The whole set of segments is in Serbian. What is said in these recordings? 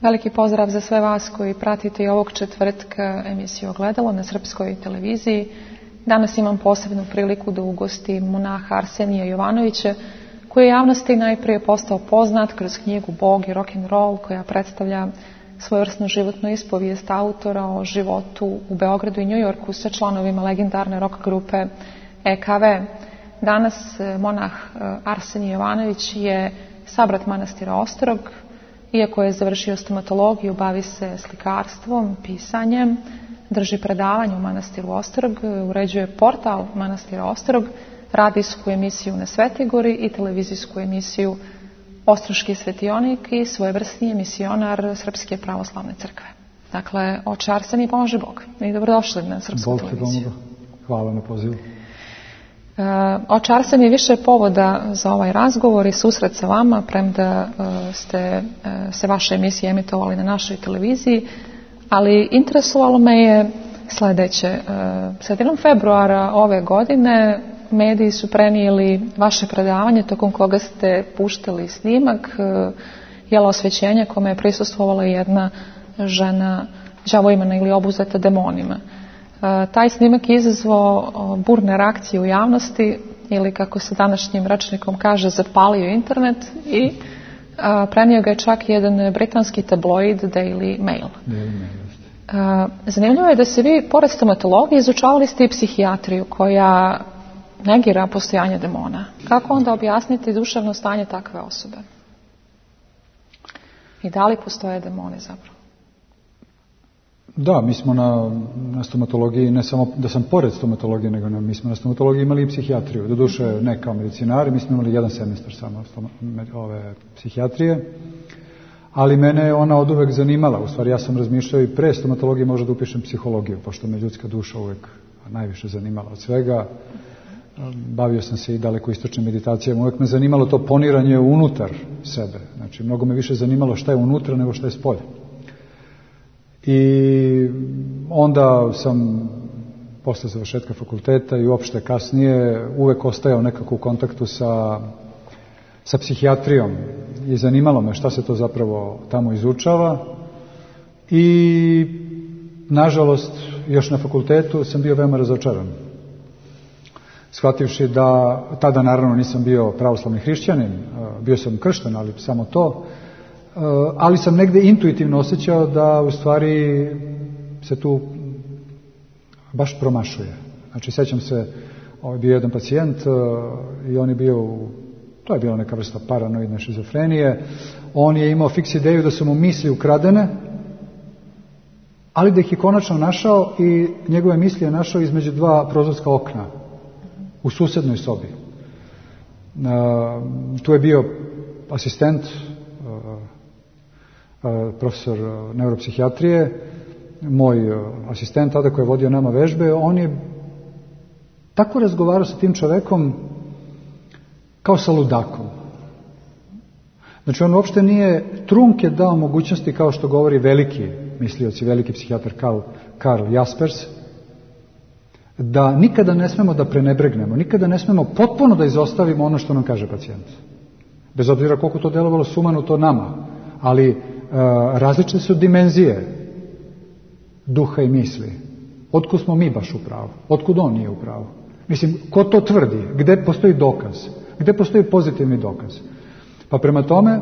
Veliki pozdrav za sve vas koji pratite i ovog četvrtka emisiju Ogledalo na Srpskoj televiziji. Danas imam posebnu priliku da ugostim monaha Arsenija Jovanovića, koji je javnosti najprije postao poznat kroz knjigu Bog i rock'n'roll, koja predstavlja svojevrsnu životnu ispovijest autora o životu u Beogradu i Njujorku sa članovima legendarne rock grupe EKV. Danas monah Arsenij Jovanović je sabrat manastira Ostrog. Iako je završio stomatologiju, bavi se slikarstvom, pisanjem, drži predavanje u manastiru Ostrog, uređuje portal manastira Ostrog, radijsku emisiju na Svetoj i televizijsku emisiju Ostroški svetionik i svojevrsni emisionar Srpske pravoslavne crkve. Dakle, oče Arsenij, pomože Bog. I dobrodošli na Srpsku televiziju. Hvala na pozivu. Oče Arsenij, više povoda za ovaj razgovor i susret sa vama, premda ste se vaše emisije emitovali na našoj televiziji, ali interesovalo me je sljedeće. Sredinom februara ove godine mediji su prenijeli vaše predavanje tokom koga ste puštali snimak jela osvećenja kome je prisustvovala jedna žena đavoimana ili obuzeta demonima. Taj snimak je izazvao burne reakcije u javnosti ili, kako se današnjim rečnikom kaže, zapalio internet i prenio ga je čak jedan britanski tabloid Daily Mail. Zanimljivo je da se vi, pored stomatologije, izučavali ste i psihijatriju koja negira postojanje demona. Kako onda objasniti duševno stanje takve osobe? I da li postoje demoni zapravo? Da, mi smo na stomatologiji, ne samo da sam pored stomatologije, nego mi smo na stomatologiji imali i psihijatriju. Doduše ne kao medicinari, mi smo imali jedan semestar samo ove psihijatrije, ali mene je ona oduvek zanimala. U stvari ja sam razmišljao i pre stomatologije možda da upišem psihologiju, pošto me ljudska duša uvek najviše zanimala od svega. Bavio sam se i daleko istočnim meditacijama, uvek me zanimalo to poniranje unutar sebe. Znači, mnogo me više zanimalo šta je unutra nego šta je spolje. I onda sam posle završetka fakulteta i uopšte kasnije uvek ostajao nekako u kontaktu sa psihijatrijom i zanimalo me šta se to zapravo tamo izučava i nažalost još na fakultetu sam bio veoma razočaran. Shvativši da tada naravno nisam bio pravoslavni hrišćanin, bio sam kršten, ali samo to, ali sam negde intuitivno osjećao da u stvari se tu baš promašuje. Znači, sećam se, bio jedan pacijent i on je bio, to je bila neka vrsta paranoidne šizofrenije, on je imao fiks ideju da su mu misli ukradene, ali da ih je konačno našao i njegove misli je našao između dva prozorska okna u susednoj sobi. Tu je bio asistent, profesor neuropsihijatrije, moj asistent tada koji je vodio nama vežbe, on je tako razgovarao sa tim čovekom kao sa ludakom. Znači, on uopšte nije trunke dao mogućnosti, kao što govori veliki mislioci, veliki psihijatar Karl Jaspers, da nikada ne smemo da prenebregnemo, nikada ne smemo potpuno da izostavimo ono što nam kaže pacijent. Bez obzira koliko to delovalo sumanuto nama, ali različite su dimenzije duha i misli. Otkud smo mi baš u pravu? Otkud on nije u pravu? Mislim, ko to tvrdi? Gde postoji dokaz? Gde postoji pozitivni dokaz? Pa prema tome,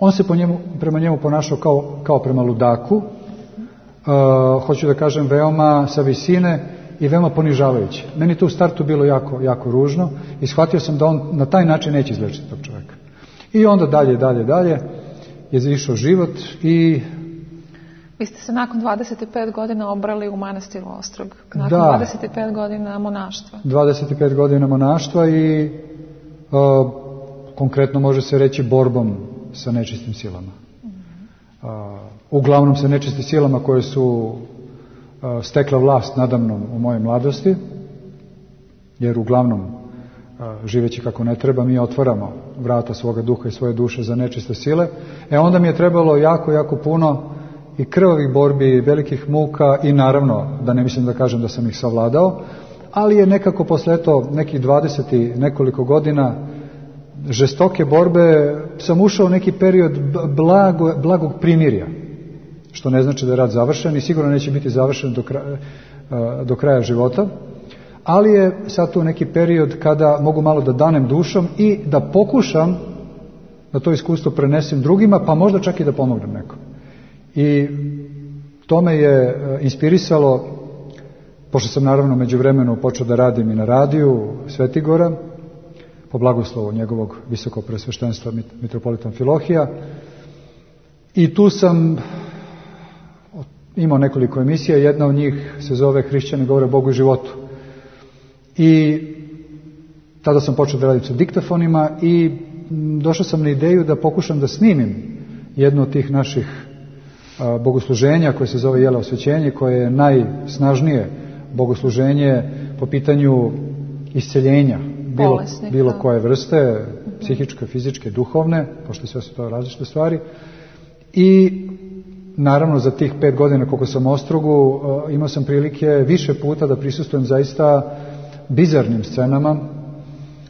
on se prema njemu ponašao kao prema ludaku, hoću da kažem veoma sa visine i veoma ponižavajuće. Meni to u startu bilo jako, jako ružno i shvatio sam da on na taj način neće izlečiti tog čovjeka. I onda dalje je išao život i... Vi ste se nakon 25 godina obrali u manastiru Ostrog. Nakon 25 godina monaštva. 25 godina monaštva i konkretno može se reći borbom sa nečistim silama. Uglavnom sa nečistim silama koje su stekla vlast nadamnom u mojoj mladosti, jer uglavnom živeći kako ne treba, mi otvaramo vrata svoga duha i svoje duše za nečiste sile. Onda mi je trebalo jako, jako puno i krvavih borbi, velikih muka i naravno, da ne mislim da kažem da sam ih savladao, ali je nekako posle nekih 20 i nekoliko godina žestoke borbe sam ušao u neki period blagog primirja, što ne znači da je rat završen i sigurno neće biti završen do kraja života, ali je sad tu neki period kada mogu malo da danem dušom i da pokušam da to iskustvo prenesem drugima, pa možda čak i da pomognem nekom. I to me je inspirisalo, pošto sam naravno međuvremenu počeo da radim i na radiju Svetigora, po blagoslovu njegovog visokog presveštenstva mitropolita Amfilohija, i tu sam imao nekoliko emisija, jedna od njih se zove Hrišćani govore o Bogu i životu. I tada sam počeo da radim sa diktafonima i došao sam na ideju da pokušam da snimim jedno od tih naših bogosluženja koje se zove Jela osvećenje, koje je najsnažnije bogosluženje po pitanju isceljenja bilo koje vrste, psihičke, fizičke, duhovne, pošto sve su to različite stvari. I naravno za tih 5 godina koliko sam u Ostrogu imao sam prilike više puta da prisustvujem zaista bizarnim scenama,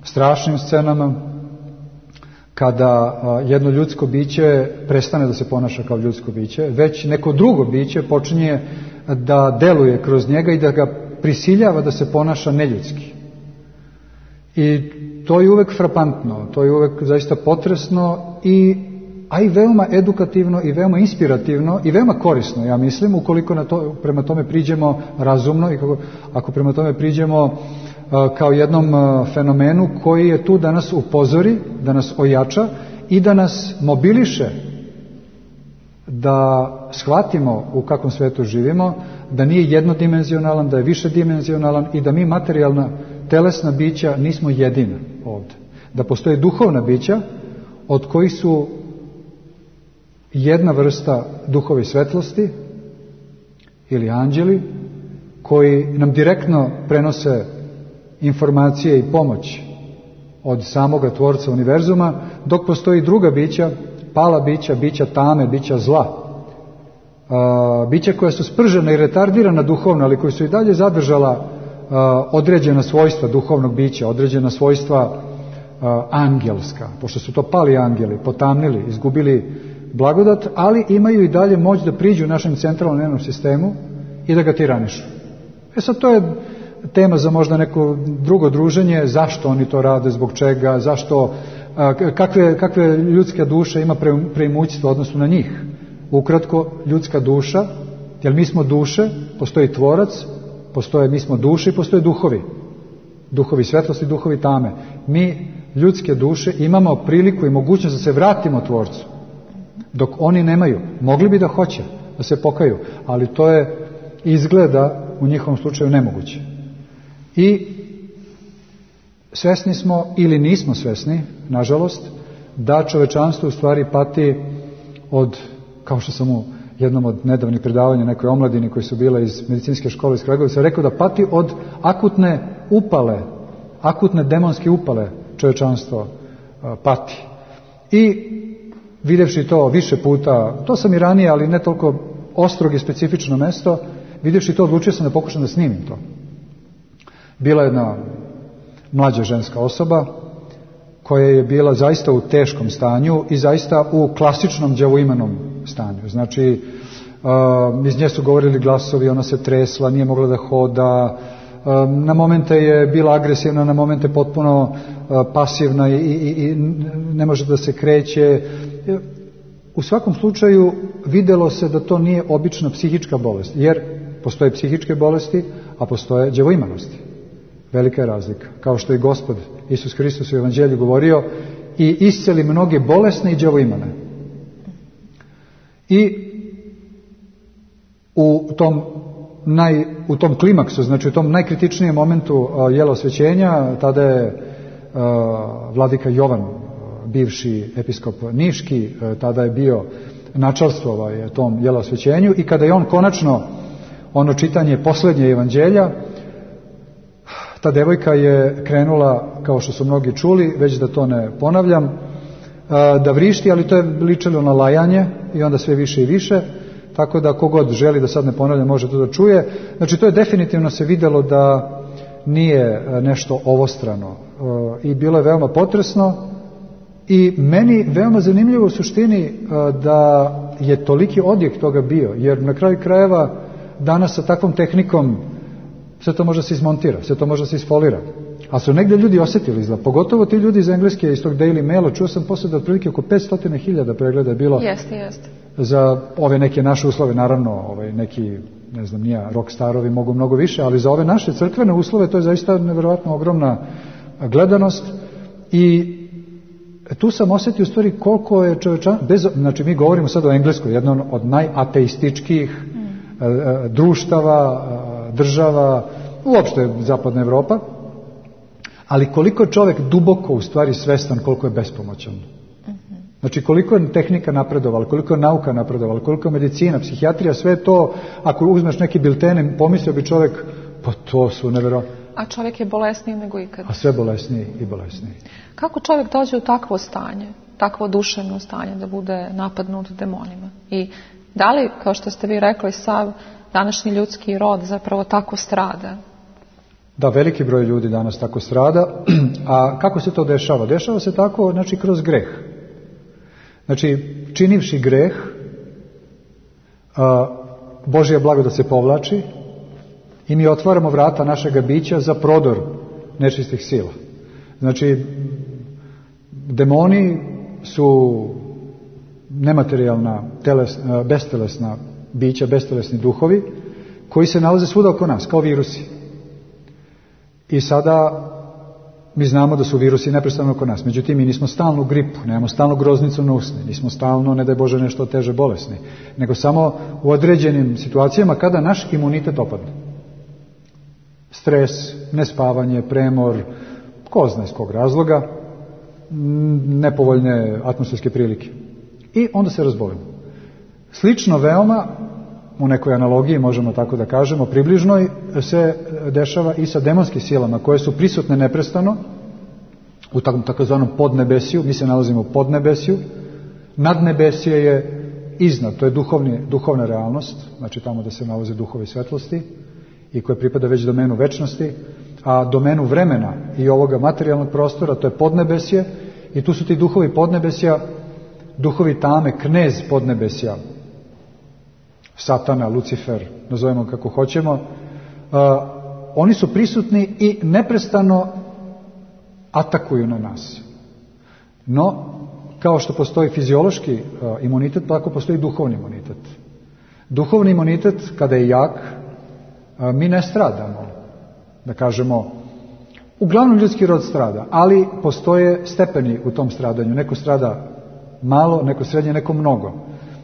strašnim scenama, kada jedno ljudsko biće prestane da se ponaša kao ljudsko biće, već neko drugo biće počinje da deluje kroz njega i da ga prisiljava da se ponaša neljudski. I to je uvek frapantno, to je uvek zaista potresno a i veoma edukativno i veoma inspirativno i veoma korisno, ja mislim, ukoliko prema tome priđemo razumno i ako prema tome priđemo kao jednom fenomenu koji je tu da nas upozori, da nas ojača i da nas mobiliše da shvatimo u kakvom svetu živimo, da nije jednodimenzionalan, da je višedimenzionalan i da mi materijalna telesna bića nismo jedina ovdje. Da postoje duhovna bića od kojih su jedna vrsta duhovi svetlosti ili anđeli koji nam direktno prenose informacije i pomoć od samoga Tvorca univerzuma, dok postoji druga bića, pala bića, bića tame, bića zla, bića koja su spržena i retardirana duhovno, ali koji su i dalje zadržala određena svojstva duhovnog bića, određena svojstva angelska, pošto su to pali angeli, potamnili, izgubili blagodat, ali imaju i dalje moć da priđu našem centralnom nervnom sistemu i da ga tiranišu. Sad to je tema za možda neko drugo druženje, zašto oni to rade, zbog čega, zašto, kakve ljudska duša ima preimućstvo odnosno na njih. Ukratko, ljudska duša, jer mi smo duše, postoji Tvorac, mi smo duše i postoje duhovi svetlosti, duhovi tame. Mi, ljudske duše, imamo priliku i mogućnost da se vratimo Tvorcu, dok oni nemaju. Mogli bi da hoće, da se pokaju, ali to je izgleda u njihovom slučaju nemoguće. I svesni smo ili nismo svesni, nažalost, da čovečanstvo u stvari pati od, kao što sam u jednom od nedavnih predavanja nekoj omladini koji su bile iz medicinske škole iz Kragujevca rekao da pati od akutne demonske upale čovečanstvo pati. I vidjevši to više puta, to sam i ranije, ali ne toliko ostrog i specifično mesto, vidjevši to odlučio sam da pokušam da snimim to. Bila je jedna mlađa ženska osoba koja je bila zaista u teškom stanju i zaista u klasičnom đavoimanom stanju. Znači, iz nje su govorili glasovi, ona se tresla, nije mogla da hoda, na momente je bila agresivna, na momente potpuno pasivna i ne može da se kreće. U svakom slučaju vidjelo se da to nije obična psihička bolest, jer postoje psihičke bolesti, a postoje đavoimanosti. Velika je razlika. Kao što je Gospod Isus Hristos u Evanđelju govorio, i isceli mnoge bolesne i đavoimane. I u tom klimaksu, znači u tom najkritičnijem momentu jela osvećenja, tada je vladika Jovan, bivši episkop Niški, tada je bio načelstvo tom jela osvećenju, i kada je on konačno ono čitanje posljednje evanđelja, ta devojka je krenula, kao što su mnogi čuli, već da to ne ponavljam, da vrišti, ali to je ličilo na lajanje i onda sve više i više, tako da kogod želi, da sad ne ponavljam, može to da čuje. Znači to je definitivno se vidjelo da nije nešto ovostrano i bilo je veoma potresno I meni veoma zanimljivo u suštini da je toliki odjek toga bio, jer na kraju krajeva danas sa takvom tehnikom sve to može da se izmontira, sve to može da se isfolira. A su negdje ljudi osjetili izgleda, pogotovo ti ljudi iz Engleske, iz tog Daily Maila, čuo sam posle da otprilike oko 500.000 pregleda je bilo. Jeste. Za ove neke naše uslove, naravno, neki, ne znam, nija, rockstarovi mogu mnogo više, ali za ove naše crkvene uslove to je zaista nevjerojatno ogromna gledanost. I tu sam osjetio u stvari koliko je znači mi govorimo sad o Engleskoj, jednom od najateističkijih društava, država, uopšte zapadna Evropa, ali koliko je čovjek duboko u stvari svestan koliko je bespomoćan. Znači koliko je tehnika napredovala, koliko je nauka napredovala, koliko je medicina, psihijatrija, sve to, ako uzmeš neki bilten, pomislio bi čovjek, pa to su nevjerojatno. A čovjek je bolesniji nego ikad. A sve bolesniji i bolesniji. Kako čovjek dođe u takvo stanje, takvo duševno stanje da bude napadnut demonima? I da li, kao što ste vi rekli, sav današnji ljudski rod zapravo tako strada? Da, veliki broj ljudi danas tako strada. A kako se to dešava? Dešava se tako, znači, kroz greh. Znači, činivši greh, Božja blagodat se povlači i mi otvaramo vrata našega bića za prodor nečistih sila. Znači, demoni su nematerijalna, bestelesna bića, bestelesni duhovi koji se nalaze svuda oko nas, kao virusi. I sada mi znamo da su virusi neprestano oko nas. Međutim, mi nismo stalno u gripu, nemamo stalno groznicu na usne, nismo stalno, ne daj Bože, nešto teže bolesni, nego samo u određenim situacijama kada naš imunitet opadne. Stres, nespavanje, premor, ko zna iz kog razloga, nepovoljne atmosferske prilike. I onda se razbolimo. Slično veoma, u nekoj analogiji možemo tako da kažemo, približnoj, se dešava i sa demonskim silama koje su prisutne neprestano u takozvanom podnebesiju. Mi se nalazimo u podnebesiju. Nadnebesije je iznad, to je duhovna realnost, znači tamo da se nalaze duhovi svetlosti i koje pripada već domenu večnosti, a domenu vremena i ovoga materijalnog prostora, to je podnebesje, i tu su ti duhovi podnebesja, duhovi tame, knez podnebesja, Satana, Lucifer, nazovemo kako hoćemo, oni su prisutni i neprestano atakuju na nas. No, kao što postoji fiziološki imunitet, tako postoji duhovni imunitet. Duhovni imunitet, kada je jak, mi ne stradamo, da kažemo, uglavnom ljudski rod strada, ali postoje stepeni u tom stradanju. Neko strada malo, neko srednje, neko mnogo.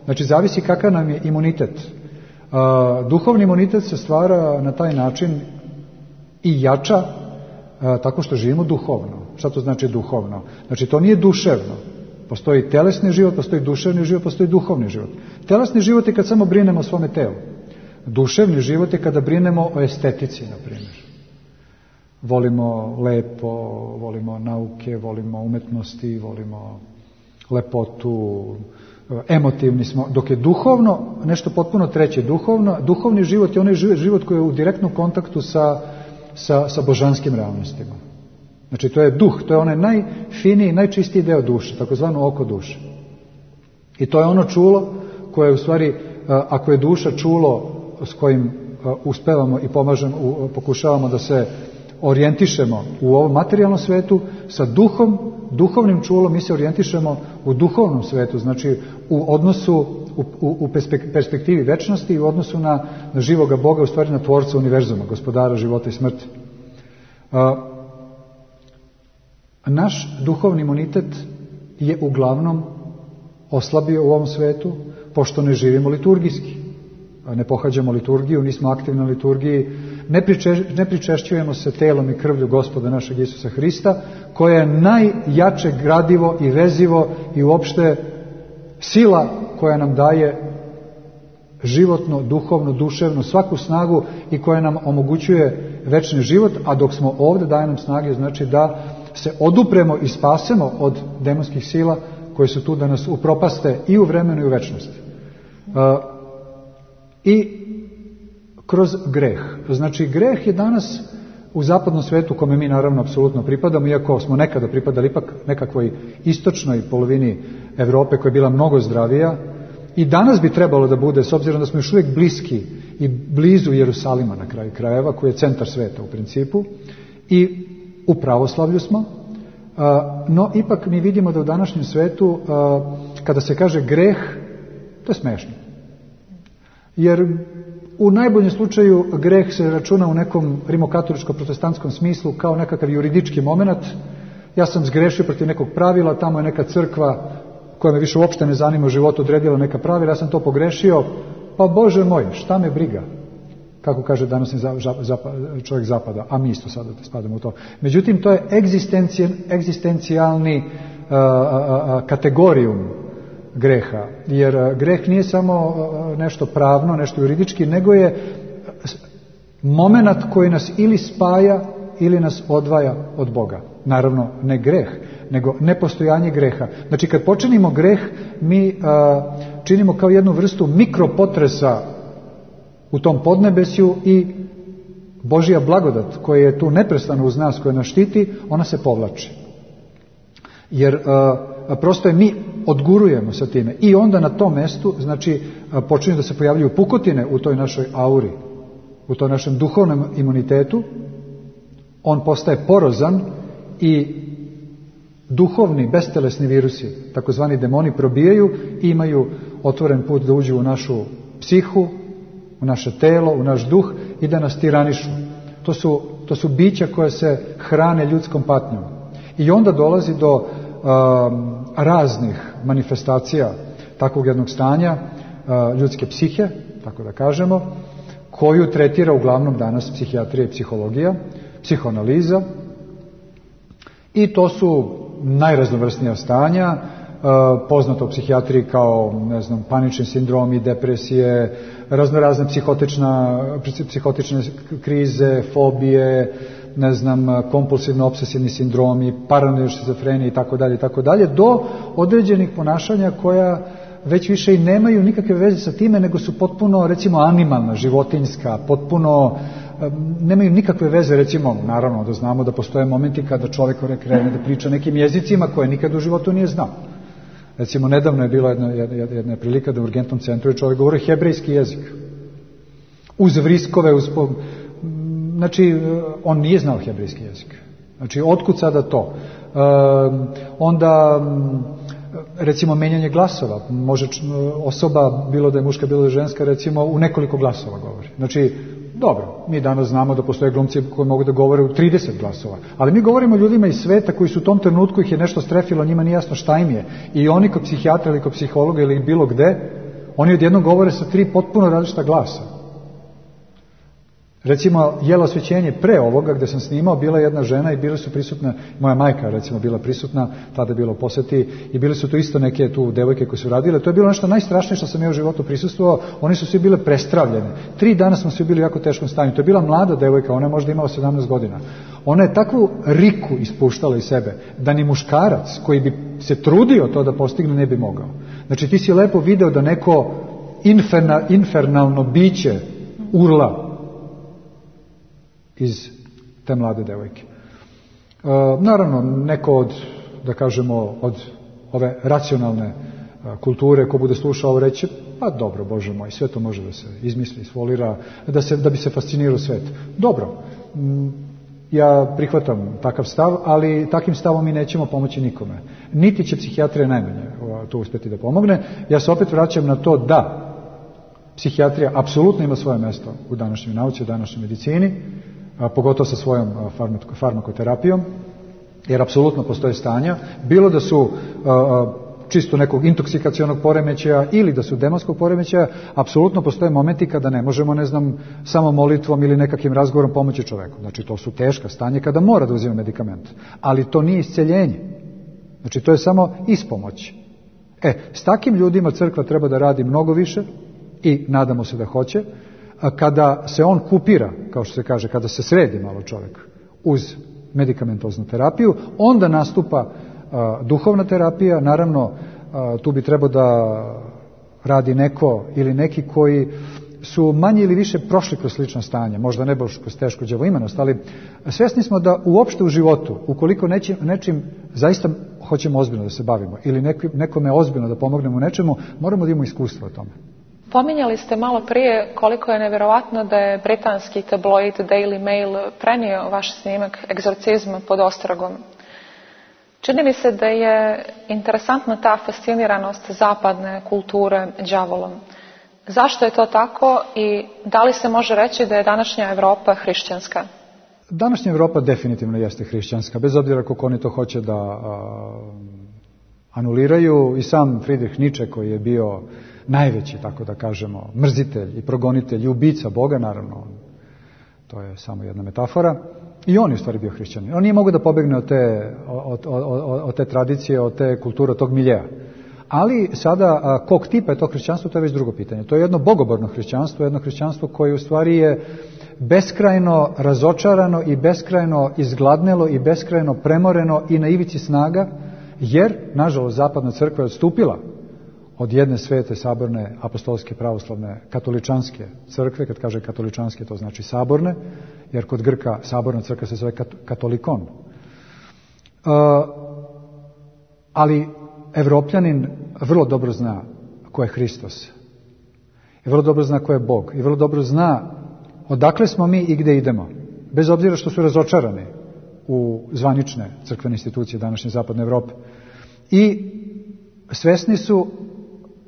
Znači, zavisi kakav nam je imunitet. Duhovni imunitet se stvara na taj način i jača tako što živimo duhovno. Šta to znači duhovno? Znači, to nije duševno. Postoji telesni život, postoji duševni život, postoji duhovni život. Telesni život je kad samo brinemo o svome telu. Duševni život je kada brinemo o estetici, na primjer. Volimo lepo, volimo nauke, volimo umetnosti, volimo lepotu, emotivni smo, dok je duhovno nešto potpuno treće. Duhovni život je onaj život koji je u direktnom kontaktu sa božanskim realnostima. Znači, to je duh, to je onaj najfiniji, najčistiji deo duše, takozvano oko duše. I to je ono čulo koje, u stvari, ako je duša čulo s kojim uspevamo i pokušavamo da se orijentišemo u ovom materijalnom svetu, sa duhovnim čulom mi se orijentišemo u duhovnom svetu, znači u odnosu, u perspektivi večnosti i u odnosu na živoga Boga, u stvari na tvorca univerzuma, gospodara života i smrti. Naš duhovni imunitet je uglavnom oslabio u ovom svetu, pošto ne živimo liturgijski. Ne pohađamo liturgiju, nismo aktivni na liturgiji, ne pričešćujemo se telom i krvlju Gospoda našeg Isusa Hrista, koje je najjače gradivo i vezivo i uopšte sila koja nam daje životno, duhovno, duševno, svaku snagu i koja nam omogućuje večni život, a dok smo ovdje daje nam snage, znači da se odupremo i spasemo od demonskih sila koje su tu da nas upropaste i u vremenu i u večnosti. I kroz greh. Znači, greh je danas u zapadnom svetu kome mi naravno apsolutno pripadamo, iako smo nekada pripadali ipak nekakvoj istočnoj polovini Evrope koja je bila mnogo zdravija, i danas bi trebalo da bude, s obzirom da smo još uvijek bliski i blizu Jerusalima na kraju krajeva, koji je centar sveta u principu, i u pravoslavlju smo, no ipak mi vidimo da u današnjem svetu, kada se kaže greh, to je smešno. Jer u najboljem slučaju greh se računa u nekom rimokatoličko-protestantskom smislu kao nekakav juridički moment. Ja sam zgrešio protiv nekog pravila, tamo je neka crkva koja me više uopšte ne zanima u životu odredila neka pravila, ja sam to pogrešio, pa Bože moj, šta me briga, kako kaže današnji čovjek zapada, a mi isto sada spadamo u to. Međutim, to je egzistencijalni kategorijum greha, jer greh nije samo nešto pravno, nešto juridički, nego je moment koji nas ili spaja ili nas odvaja od Boga. Naravno, ne greh, nego nepostojanje greha. Znači, kad počinimo greh, mi činimo kao jednu vrstu mikropotresa u tom podnebesju i Božja blagodat koja je tu neprestano uz nas, koja nas štiti, ona se povlači. Jer prosto je mi odgurujemo sa time. I onda na tom mestu, znači, počinju da se pojavljuju pukotine u toj našoj auri, u toj našem duhovnom imunitetu. On postaje porozan i duhovni, bestelesni virusi, takozvani demoni, probijaju i imaju otvoren put da uđu u našu psihu, u naše telo, u naš duh i da nas tiranišu. To su bića koje se hrane ljudskom patnjom. I onda dolazi do raznih manifestacija takvog jednog stanja ljudske psihe, tako da kažemo, koju tretira uglavnom danas psihijatrija i psihologija, psihoanaliza, i to su najraznovrsnija stanja, poznato u psihijatriji kao, ne znam, panični sindromi, depresije, raznorazne psihotične krize, fobije, ne znam, kompulsivno-obsesivni sindromi, paranoidne šizofrenije itd., do određenih ponašanja koja već više i nemaju nikakve veze sa time, nego su potpuno, recimo, animalna, životinjska, potpuno nemaju nikakve veze, recimo, naravno da znamo da postoje momenti kada čovjek krene da priča nekim jezicima koje nikad u životu nije znao. Recimo, nedavno je bila jedna prilika da u urgentnom centru je čovjek govorio hebrejski jezik. Uz vriskove, znači, on nije znao hebrejski jezik. Znači, otkud sada to? Onda, recimo, menjanje glasova. Može osoba, bilo da je muška, bilo da je ženska, recimo, u nekoliko glasova govori. Znači, dobro, mi danas znamo da postoje glumci koji mogu da govore u 30 glasova, ali mi govorimo o ljudima iz sveta koji su u tom trenutku ih je nešto strefilo, njima nije jasno šta im je. I oni kod psihijatra ili kod psihologa ili bilo gde, oni odjednom govore sa 3 potpuno različita glasa. Recimo, Jelo osvećenje pre ovoga gde sam snimao, bila jedna žena i bile su prisutne, moja majka recimo bila prisutna, tada je bilo u poseti, i bile su tu isto neke tu devojke koje su radile. To je bilo nešto najstrašnije što sam ja u životu prisustvovao. Oni su svi bile prestravljene. 3 dana smo svi bili u jako teškom stanju. To je bila mlada devojka, ona je možda imala 17 godina. Ona je takvu riku ispuštala iz sebe da ni muškarac koji bi se trudio to da postigne ne bi mogao. Znači, ti si lepo video da neko infernalno biće urla iz te mlade devojke. Naravno, neko od, da kažemo, od ove racionalne kulture, ko bude slušao, reći, pa dobro, Bože moj, sve to može da se izmisli, isfolira, da bi se fascinirao svet. Dobro, ja prihvatam takav stav, ali takim stavom mi nećemo pomoći nikome. Niti će psihijatrija najmanje to uspjeti da pomogne. Ja se opet vraćam na to da psihijatrija apsolutno ima svoje mjesto u današnjoj nauci, u današnjoj medicini, pogotovo sa svojom farmakoterapijom, jer apsolutno postoje stanja, bilo da su čisto nekog intoksikacionog poremećaja ili da su demonskog poremećaja, apsolutno postoje momenti kada ne možemo, ne znam, samo molitvom ili nekakvim razgovorom pomoći čoveku. Znači, to su teška stanje kada mora da uzima medikament, ali to nije isceljenje. Znači, to je samo ispomoć. S takim ljudima crkva treba da radi mnogo više i nadamo se da hoće. Kada se on kupira, kao što se kaže, kada se sredi malo čovjek uz medikamentoznu terapiju, onda nastupa duhovna terapija. Naravno, tu bi trebao da radi neko ili neki koji su manje ili više prošli kroz slično stanje, možda ne baš kroz tešku đavoimenost, ali svjesni smo da uopšte u životu, ukoliko nečim zaista hoćemo ozbiljno da se bavimo ili nekome ozbiljno da pomognemo u nečemu, moramo da imamo iskustvo o tome. Pominjali ste malo prije koliko je nevjerovatno da je britanski tabloid Daily Mail prenio vaš snimak egzorcizma pod ostragom. Čini mi se da je interesantna ta fasciniranost zapadne kulture đavolom. Zašto je to tako i da li se može reći da je današnja Europa hrišćanska? Današnja Europa definitivno jeste hrišćanska, bez obzira kako oni to hoće da anuliraju. I sam Friedrich Nietzsche, koji je bio najveći, tako da kažemo, mrzitelj i progonitelj i ubica Boga, naravno, to je samo jedna metafora, i on je u stvari bio hrišćanin. On nije mogao da pobegne od te tradicije, od te kulture, od tog miljeja. Ali sada, kog tipa je to hrišćanstvo, to je već drugo pitanje. To je jedno bogoborno hrišćanstvo, jedno hrišćanstvo koje u stvari je beskrajno razočarano i beskrajno izgladnelo i beskrajno premoreno i na ivici snaga, jer, nažalost, zapadna crkva je odstupila od jedne svete, saborne, apostolske, pravoslavne, katoličanske crkve. Kad kaže katoličanske, to znači saborne, jer kod Grka saborna crkva se zove katolikon. Ali Evropljanin vrlo dobro zna ko je Hristos. I vrlo dobro zna ko je Bog. I vrlo dobro zna odakle smo mi i gde idemo. Bez obzira što su razočarani u zvanične crkvene institucije današnje zapadne Evrope. I svesni su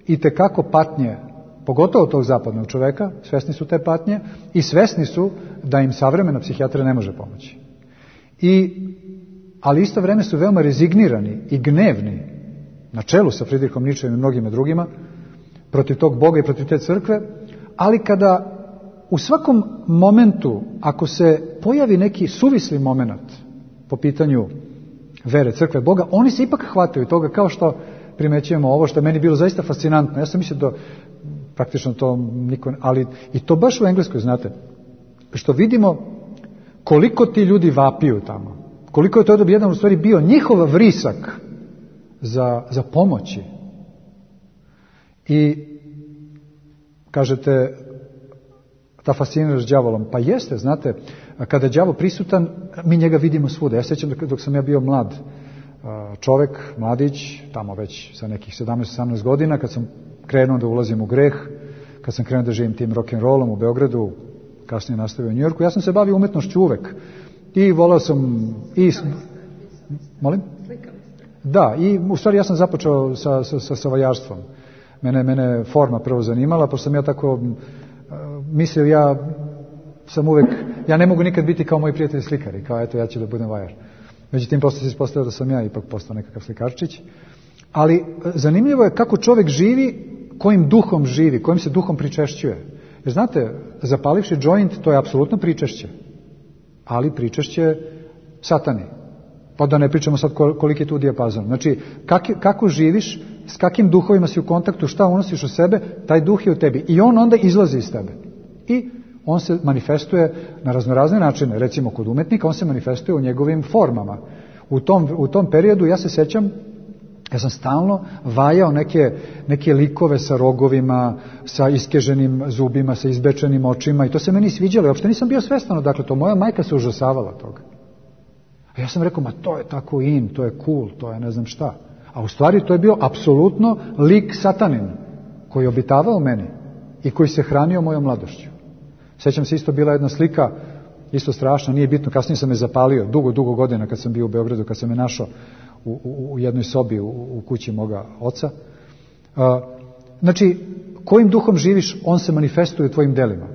itekako patnje, pogotovo tog zapadnog čoveka, svesni su te patnje i svesni su da im savremena psihijatrija ne može pomoći. Ali isto vreme su veoma rezignirani i gnevni, na čelu sa Friedrichom Nietzscheom i mnogima drugima, protiv tog Boga i protiv te crkve, ali kada u svakom momentu, ako se pojavi neki suvisli moment po pitanju vere, crkve, Boga, oni se ipak hvataju toga, kao što primećujemo ovo što je meni bilo zaista fascinantno. Ja sam mislio da praktično to niko, ali i to baš u Engleskoj, znate, što vidimo koliko ti ljudi vapiju tamo, koliko je to jedan u stvari bio njihov vrisak za pomoći. I kažete, ta fasciniraš đavolom, pa jeste, znate, kada je đavo prisutan, mi njega vidimo svuda. Ja sećam dok sam ja bio mlad čovek, mladić, tamo već sa nekih 17-18 godina, kad sam krenuo da ulazim u greh, kad sam krenuo da živim tim rock'n'rollom u Beogradu, kasnije nastavio u Njujorku, ja sam se bavio umetnošću uvek. I volao sam Molim? Da, i u stvari ja sam započeo sa vajarstvom. Mene forma prvo zanimala, pošto sam ja tako mislio, ja ne mogu nikad biti kao moji prijatelji slikari, kao eto ja ću da budem vajar. Međutim, posle se ispostavio da sam ja ipak postao nekakav slikarčić. Ali zanimljivo je kako čovjek živi, kojim duhom živi, kojim se duhom pričešćuje. Jer znate, zapalivši joint, to je apsolutno pričešće. Ali pričešće satani. Pa da ne pričamo sad koliki je tu dijapazon. Znači, kako živiš, s kakim duhovima si u kontaktu, šta unosiš u sebe, taj duh je u tebi. I on onda izlazi iz tebe. I on se manifestuje na raznorazne načine. Recimo, kod umetnika, on se manifestuje u njegovim formama. U tom periodu, ja se sećam, ja sam stalno vajao neke likove sa rogovima, sa iskeženim zubima, sa izbečenim očima i to se meni sviđalo. Uopšte nisam bio svestan odakle to. Moja majka se užasavala toga. A ja sam rekao, ma to je tako in, to je cool, to je ne znam šta. A u stvari to je bio apsolutno lik satanin koji je obitavao u meni i koji se hranio mojom mladošću. Sećam se, isto bila jedna slika, isto strašna, nije bitno, kasnije sam je zapalio, dugo godina kad sam bio u Beogradu, kad sam je našao u jednoj sobi u kući moga oca. Znači, kojim duhom živiš, on se manifestuje u tvojim delima.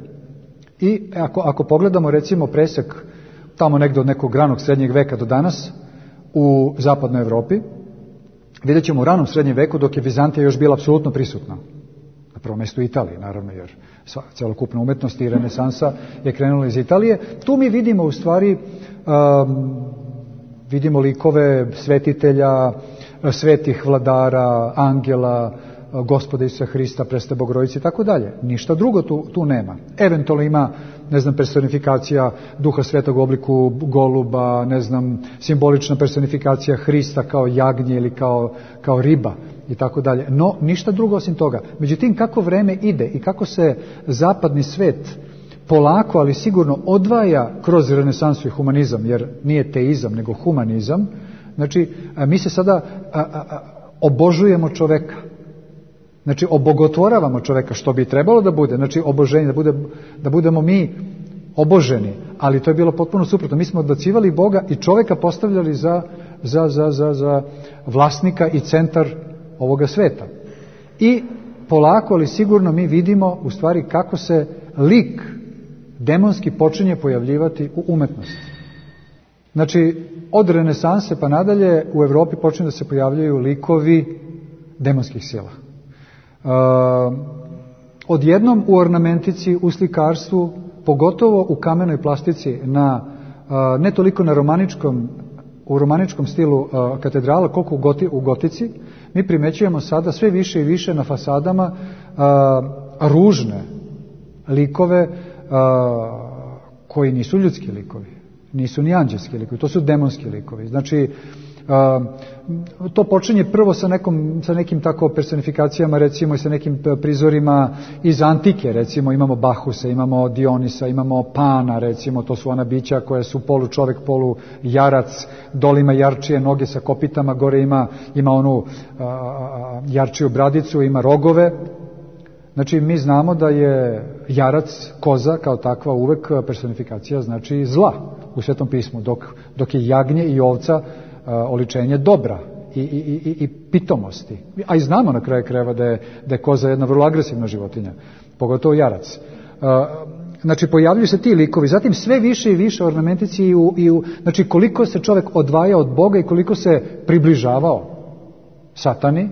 I ako pogledamo recimo presek tamo negdje od nekog ranog srednjeg veka do danas u zapadnoj Evropi, vidjet ćemo u ranom srednjem veku dok je Vizantija još bila apsolutno prisutna. Na prvom mjestu Italiji, naravno, jer celokupna umetnost i renesansa je krenula iz Italije. Tu mi vidimo u stvari vidimo likove svetitelja, svetih vladara, angela, Gospoda Isusa Hrista, Presvete Bogorodice i tako dalje. Ništa drugo tu nema. Eventualno ima, personifikacija Duha Svetog u obliku goluba, simbolična personifikacija Hrista kao jagnje ili kao riba i tako dalje. No, ništa drugo osim toga. Međutim, kako vreme ide i kako se zapadni svet polako, ali sigurno odvaja kroz renesansu i humanizam, jer nije teizam, nego humanizam, znači, mi se sada obožujemo čoveka. Znači, obogotvoravamo čoveka, što bi trebalo da bude, znači oboženje, da budemo mi oboženi, ali to je bilo potpuno suprotno. Mi smo odbacivali Boga i čoveka postavljali za vlasnika i centar ovoga sveta. I polako, ali sigurno mi vidimo u stvari kako se lik demonski počinje pojavljivati u umetnosti. Znači, od renesanse pa nadalje u Evropi počinju da se pojavljaju likovi demonskih sila. Odjednom u ornamentici, u slikarstvu, pogotovo u kamenoj plastici, ne toliko u romaničkom stilu katedrala, koliko u gotici, mi primećujemo sada sve više i više na fasadama ružne likove koji nisu ljudski likovi, nisu ni anđelski likovi, to su demonski likovi. Znači, to počinje prvo sa nekim tako personifikacijama, recimo i sa nekim prizorima iz antike, recimo imamo Bahusa, imamo Dionisa, imamo Pana, recimo, to su ona bića koja su polu čovek, polu jarac, dole ima jarčije noge sa kopitama, gore ima onu jarčiju bradicu, ima rogove. Znači, mi znamo da je jarac, koza kao takva uvek personifikacija, znači zla u Svetom pismu, dok je jagnje i ovca oličenje dobra i pitomosti. A i znamo na kraju krajeva da je koza jedna vrlo agresivna životinja, pogotovo jarac. Znači, pojavljuju se ti likovi, zatim sve više i više ornamentici znači, koliko se čovjek odvaja od Boga i koliko se približavao satani,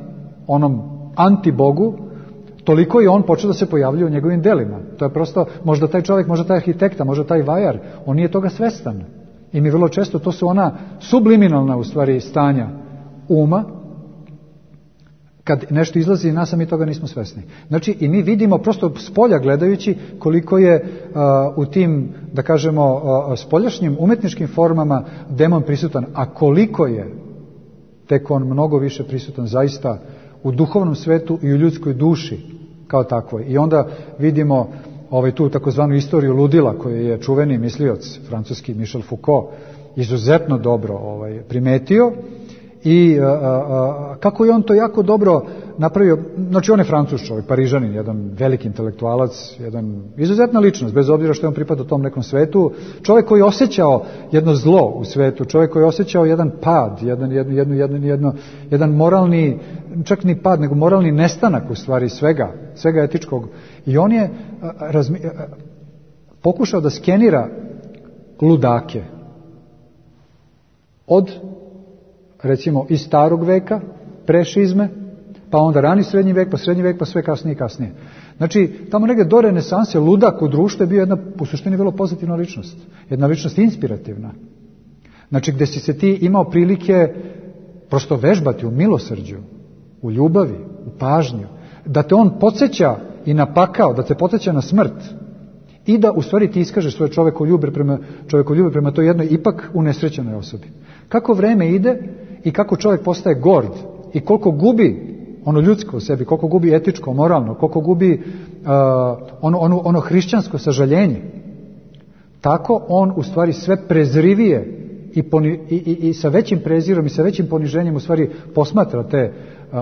onom antibogu, toliko i on počeo da se pojavljuje u njegovim delima. To je prosto, možda taj čovjek, možda taj arhitekta, možda taj vajar, on nije toga svestan. I mi vrlo često, to su ona subliminalna u stvari stanja uma, kad nešto izlazi iz nas, a mi toga nismo svesni. Znači, i mi vidimo prosto s polja gledajući koliko je u tim, da kažemo, spoljašnjim umetničkim formama demon prisutan, a koliko je tek on mnogo više prisutan zaista u duhovnom svetu i u ljudskoj duši kao takvoj. I onda vidimo tu takozvanu istoriju ludila koju je čuveni mislioc francuski Michel Foucault izuzetno dobro primetio i kako je on to jako dobro napravio. Znači, on je Francuz čovjek, Parižanin, jedan veliki intelektualac, jedan izuzetna ličnost, bez obzira što je on pripadao tom nekom svetu, čovjek koji je osjećao jedno zlo u svetu, čovjek koji je osjećao jedan pad, jedan moralni, čak ni pad, nego moralni nestanak u stvari svega etičkog. I on je pokušao da skenira ludake od, recimo, iz starog veka, prešizme, pa onda rani srednji vek, pa srednji vek, pa sve kasnije i kasnije. Znači, tamo negdje do renesanse ludak u društvu je bio jedna, u suštini, vrlo pozitivna ličnost. Jedna ličnost inspirativna. Znači, gdje si se ti imao prilike prosto vežbati u milosrđu, u ljubavi, u pažnju, da te on podsjeća i na pakao, da te podsjeća na smrt i da u stvari ti iskažeš svoje čovekoljublje prema toj jednoj ipak unesrećenoj osobi. Kako vreme ide i kako čovjek postaje gord i koliko gubi ono ljudsko u sebi, koliko gubi etičko, moralno, koliko gubi ono hrišćansko sažaljenje, tako on u stvari sve prezrivije i sa većim prezirom i sa većim poniženjem u stvari posmatra te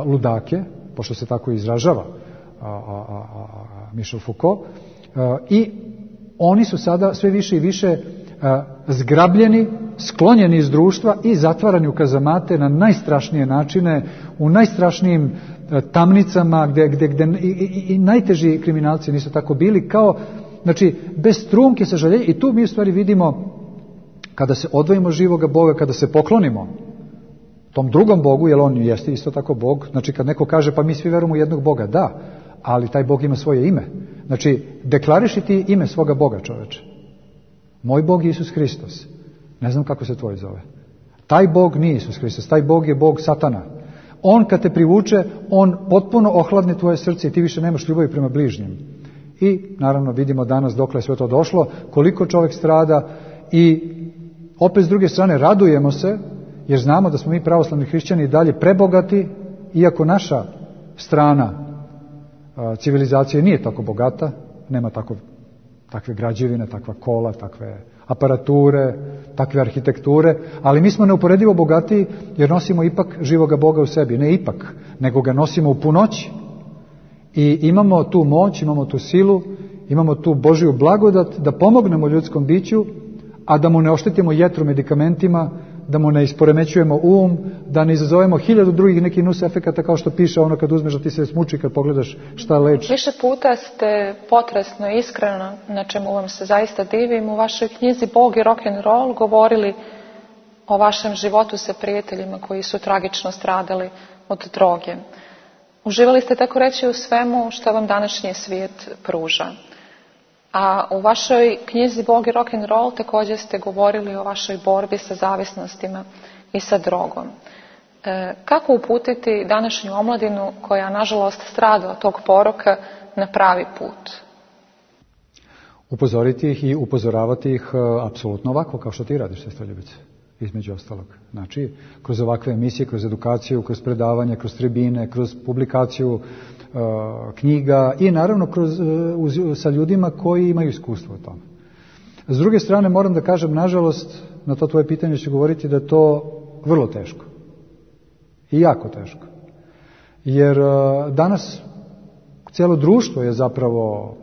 ludake, pošto se tako izražava Michel Foucault, i oni su sada sve više i više zgrabljeni, sklonjeni iz društva i zatvarani u kazamate na najstrašnije načine, u najstrašnijim tamnicama gdje i najteži kriminalci nisu tako bili, kao, znači, bez trunke sažaljenja. I tu mi u stvari vidimo, kada se odvojimo živoga Boga, kada se poklonimo tom drugom Bogu, jer on jeste isto tako Bog, znači kad neko kaže pa mi svi verujemo u jednog Boga, da, ali taj Bog ima svoje ime. Znači, deklariši ti ime svoga Boga, čoveče. Moj Bog je Isus Hristos. Ne znam kako se tvoj zove. Taj Bog nije Isus Hristos, taj Bog je Bog Satana. On kad te privuče, on potpuno ohladne tvoje srce i ti više nemaš ljubavi prema bližnjem. I naravno vidimo danas dokle je sve to došlo, koliko čovjek strada i opet s druge strane radujemo se jer znamo da smo mi pravoslavni hrišćani i dalje prebogati, iako naša strana civilizacije nije tako bogata, nema takve građevine, takva kola, takve aparature, takve arhitekture, ali mi smo neuporedivo bogatiji jer nosimo ipak živoga Boga u sebi. Ne ipak, nego ga nosimo u punoći. I imamo tu moć, imamo tu silu, imamo tu Božju blagodat da pomognemo ljudskom biću, a da mu ne oštetimo jetru medikamentima, da mu ne isporemećujemo da ne izazovemo 1000 drugih nekih nus efekata kao što piše ono kad uzmeš da ti se smuči kad pogledaš šta leči. Više puta ste potresno i iskreno, na čemu vam se zaista divim, u vašoj knjizi Bog i rock'n'roll govorili o vašem životu sa prijateljima koji su tragično stradali od droge. Uživali ste tako reći u svemu što vam današnji svijet pruža. A u vašoj knjizi Bog i rock'n'roll također ste govorili o vašoj borbi sa zavisnostima i sa drogom. Kako uputiti današnju omladinu koja nažalost strada od tog poroka na pravi put? Upozoriti ih i upozoravati ih apsolutno ovako kao što ti radiš, sestroljubice, između ostalog. Znači, kroz ovakve emisije, kroz edukaciju, kroz predavanje, kroz tribine, kroz publikaciju knjiga i naravno sa ljudima koji imaju iskustvo o tome. S druge strane moram da kažem, nažalost, na to tvoje pitanje ću govoriti da je to vrlo teško. I jako teško. Jer danas cijelo društvo je zapravo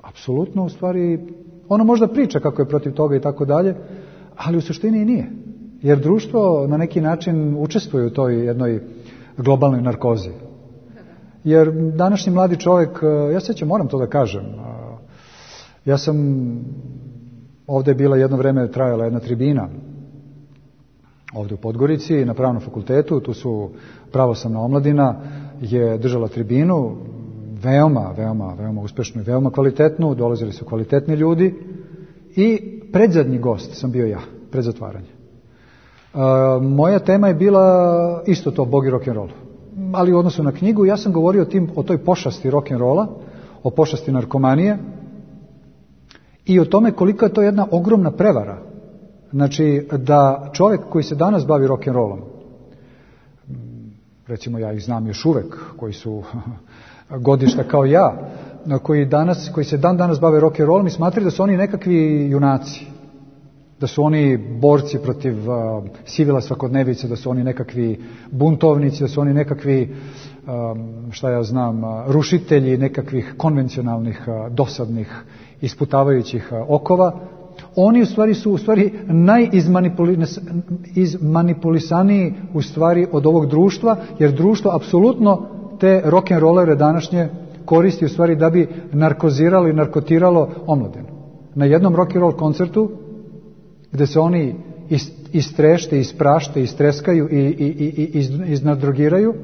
apsolutno u stvari, ono možda priča kako je protiv toga i tako dalje, ali u suštini i nije. Jer društvo na neki način učestvuje u toj jednoj globalnoj narkozi. Jer današnji mladi čovjek, ja sjećam, moram to da kažem, ja sam, ovdje je bila jedno vrijeme trajala jedna tribina, ovdje u Podgorici, na Pravnom fakultetu, tu su pravoslavna omladina, je držala tribinu, veoma uspješnu i veoma kvalitetnu, dolazili su kvalitetni ljudi i predzadnji gost sam bio ja, pred zatvaranje. Moja tema je bila isto to, Bog i rock'n'roll. Ali u odnosu na knjigu ja sam govorio o toj pošasti rock'n'rolla, o pošasti narkomanije i o tome koliko je to jedna ogromna prevara. Znači da čovjek koji se danas bavi rock'n'rollom, recimo ja ih znam još uvek, koji su godišta kao ja, koji se dan danas bave rock'n'rollom i smatraju da su oni nekakvi junaci, da su oni borci protiv sivila svakodnevice, da su oni nekakvi buntovnici, da su oni nekakvi, rušitelji nekakvih konvencionalnih, dosadnih, isputavajućih okova. Oni u stvari najizmanipulisaniji u stvari od ovog društva, jer društvo apsolutno te rock'n'rollere današnje koristi u stvari da bi narkoziralo i narkotiralo omladinu. Na jednom rock'n'roll koncertu gdje se oni istrešte, isprašte, istreskaju i iznadrogiraju,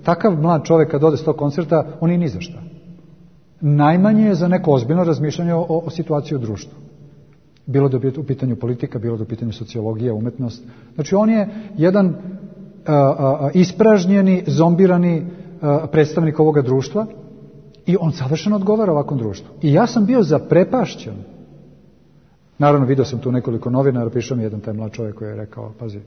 takav mlad čovjek kad ode s tog koncerta, on je ni za šta. Najmanje je za neko ozbiljno razmišljanje o situaciji u društvu. Bilo da je u pitanju politika, bilo da je u pitanju sociologija, umetnost. Znači on je jedan ispražnjeni, zombirani predstavnik ovoga društva i on savršeno odgovara ovakvom društvu. I ja sam bio zaprepašćen. Naravno, vidio sam tu nekoliko novinara, prišao mi jedan taj mlad čovjek koji je rekao, pazi,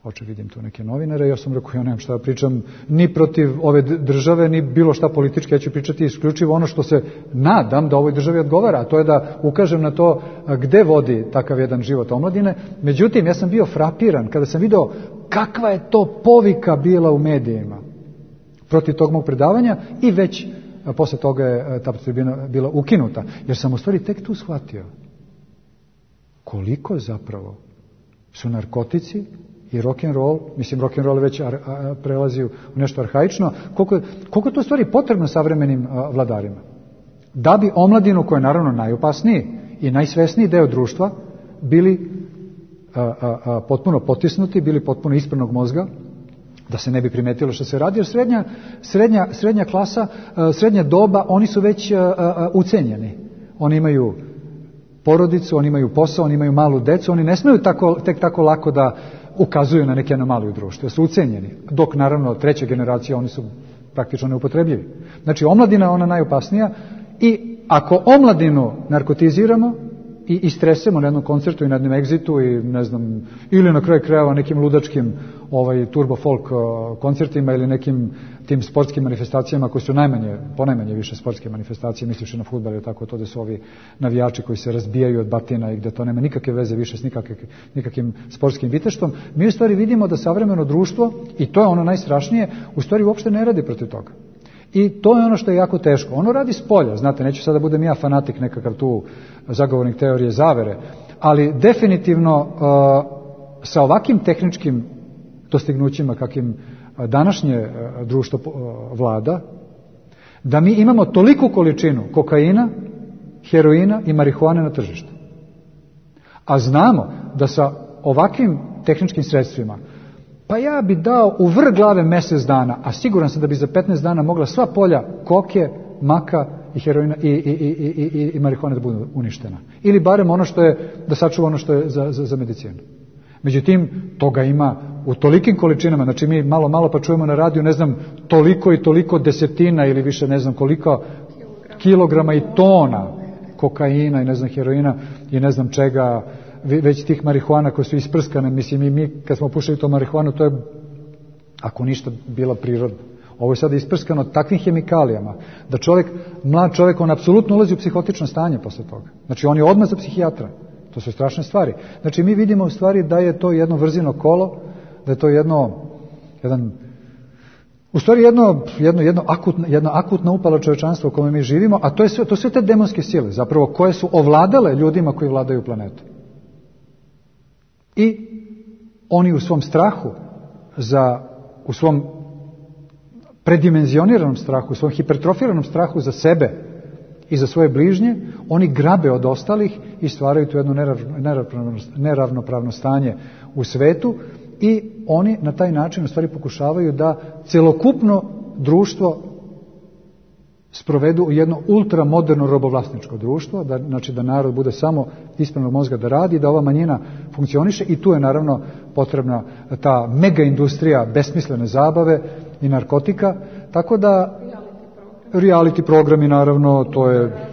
oče, vidim tu neke novinare, ja sam rekao, ja nemam šta da pričam ni protiv ove države, ni bilo šta politički, ja ću pričati isključivo ono što se nadam da ovoj državi odgovara, a to je da ukažem na to gde vodi takav jedan život omladine. Međutim, ja sam bio frapiran kada sam video kakva je to povika bila u medijima protiv tog mog predavanja i već posle toga je ta tribina bila ukinuta, jer sam u stvari tek tu shvatio koliko zapravo su narkotici i rock'n'roll, mislim rock'n'roll već prelazi u nešto arhaično, koliko je to stvari potrebno savremenim vladarima. Da bi omladinu, koja je naravno najopasniji i najsvesniji deo društva, bili potpuno potisnuti, bili potpuno ispranog mozga, da se ne bi primetilo što se radi, jer srednja klasa, srednja doba, oni su već ucenjeni. Oni imaju porodicu, oni imaju posao, oni imaju malu decu, oni ne smeju tek tako lako da ukazuju na neke anomalije u društvu, su ucenjeni. Dok naravno treća generacija, oni su praktično neupotrebljivi. Znači omladina je ona najopasnija i ako omladinu narkotiziramo i istresemo na jednom koncertu i na jednom egzitu i ne znam, ili na kraju krajeva nekim ludačkim turbo folk koncertima ili nekim tim sportskim manifestacijama koji su ponajmanje više sportske manifestacije, misliš na fudbal i tako to da su ovi navijači koji se razbijaju od batina i gde to nema nikakve veze više s nikakvim sportskim viteštvom. Mi u stvari vidimo da savremeno društvo, i to je ono najstrašnije, u stvari uopšte ne radi protiv toga. I to je ono što je jako teško. Ono radi s polja, znate, neću sada da budem ja fanatik nekakav tu zagovornik teorije zavere, ali definitivno sa ovakvim tehničkim dostignućima kakvim današnje društvo vlada, da mi imamo toliku količinu kokaina, heroina i marihuane na tržištu. A znamo da sa ovakvim tehničkim sredstvima, pa ja bi dao u vrh glave mjesec dana, a siguran sam da bi za 15 dana mogla sva polja koke, maka i heroina i marihuane da budu uništena. Ili barem ono što je, da sačuva ono što je za medicinu. Međutim, toga ima u tolikim količinama, znači mi malo pa čujemo na radiju, ne znam, toliko i toliko desetina ili više ne znam koliko kilograma i tona kokaina i ne znam heroina i ne znam čega, već tih marihuana koje su isprskane, mislim i mi kad smo pušili to marihuanu, to je ako ništa bila prirodna. Ovo je sada isprskano takvim hemikalijama da mlad čovjek, on apsolutno ulazi u psihotično stanje posle toga. Znači on je odmah za psihijatra. To su strašne stvari. Znači mi vidimo u stvari da je to jedno vrzino kolo, da je to jedna akutna upala čovječanstva u kome mi živimo, a to su sve te demonske sile, zapravo koje su ovladale ljudima koji vladaju planetom. I oni u svom strahu, u svom predimenzioniranom strahu, u svom hipertrofiranom strahu za sebe i za svoje bližnje, oni grabe od ostalih i stvaraju tu jedno neravnopravno stanje u svetu i oni na taj način u stvari pokušavaju da celokupno društvo sprovedu u jedno ultramoderno robovlasničko društvo, znači da narod bude samo ispravnog mozga da radi, da ova manjina funkcioniše i tu je naravno potrebna ta mega industrija besmislene zabave i narkotika, tako da reality programi naravno, to je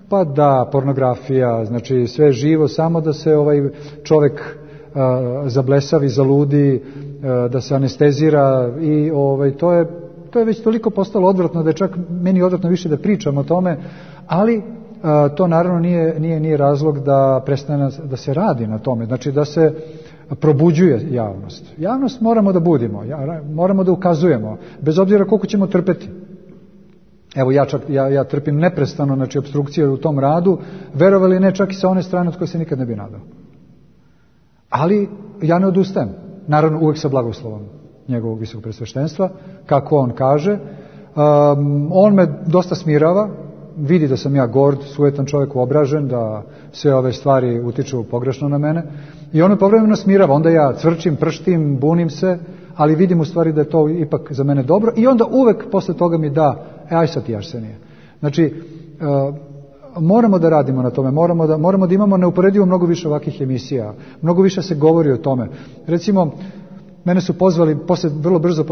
pa da, pornografija, znači sve živo, samo da se čovjek zablesavi, zaludi, da se anestezira i to je već toliko postalo odvratno da je čak meni odvratno više da pričam o tome, ali to naravno nije razlog da prestane da se radi na tome, znači da se probuđuje javnost. Javnost moramo da budimo, moramo da ukazujemo, bez obzira koliko ćemo trpeti. Evo ja trpim neprestano, znači opstrukcije u tom radu, verovali ne, čak i sa one strane od koje se nikad ne bi nadao. Ali ja ne odustajem, naravno uvijek sa blagoslovom njegovog visokog presveštenstva, kako on kaže. On me dosta smirava, vidi da sam ja gord, sujetan čovjek, obražen, da sve ove stvari utiču pogrešno na mene i on me povremeno smirava, onda ja cvrčim, prštim, bunim se, ali vidim u stvari da je to ipak za mene dobro i onda uvek posle toga mi da, aj sad ti Arsenije. Znači, moramo da radimo na tome, moramo da imamo neuporedivo mnogo više ovakvih emisija, mnogo više se govori o tome. Recimo, mene su pozvali vrlo brzo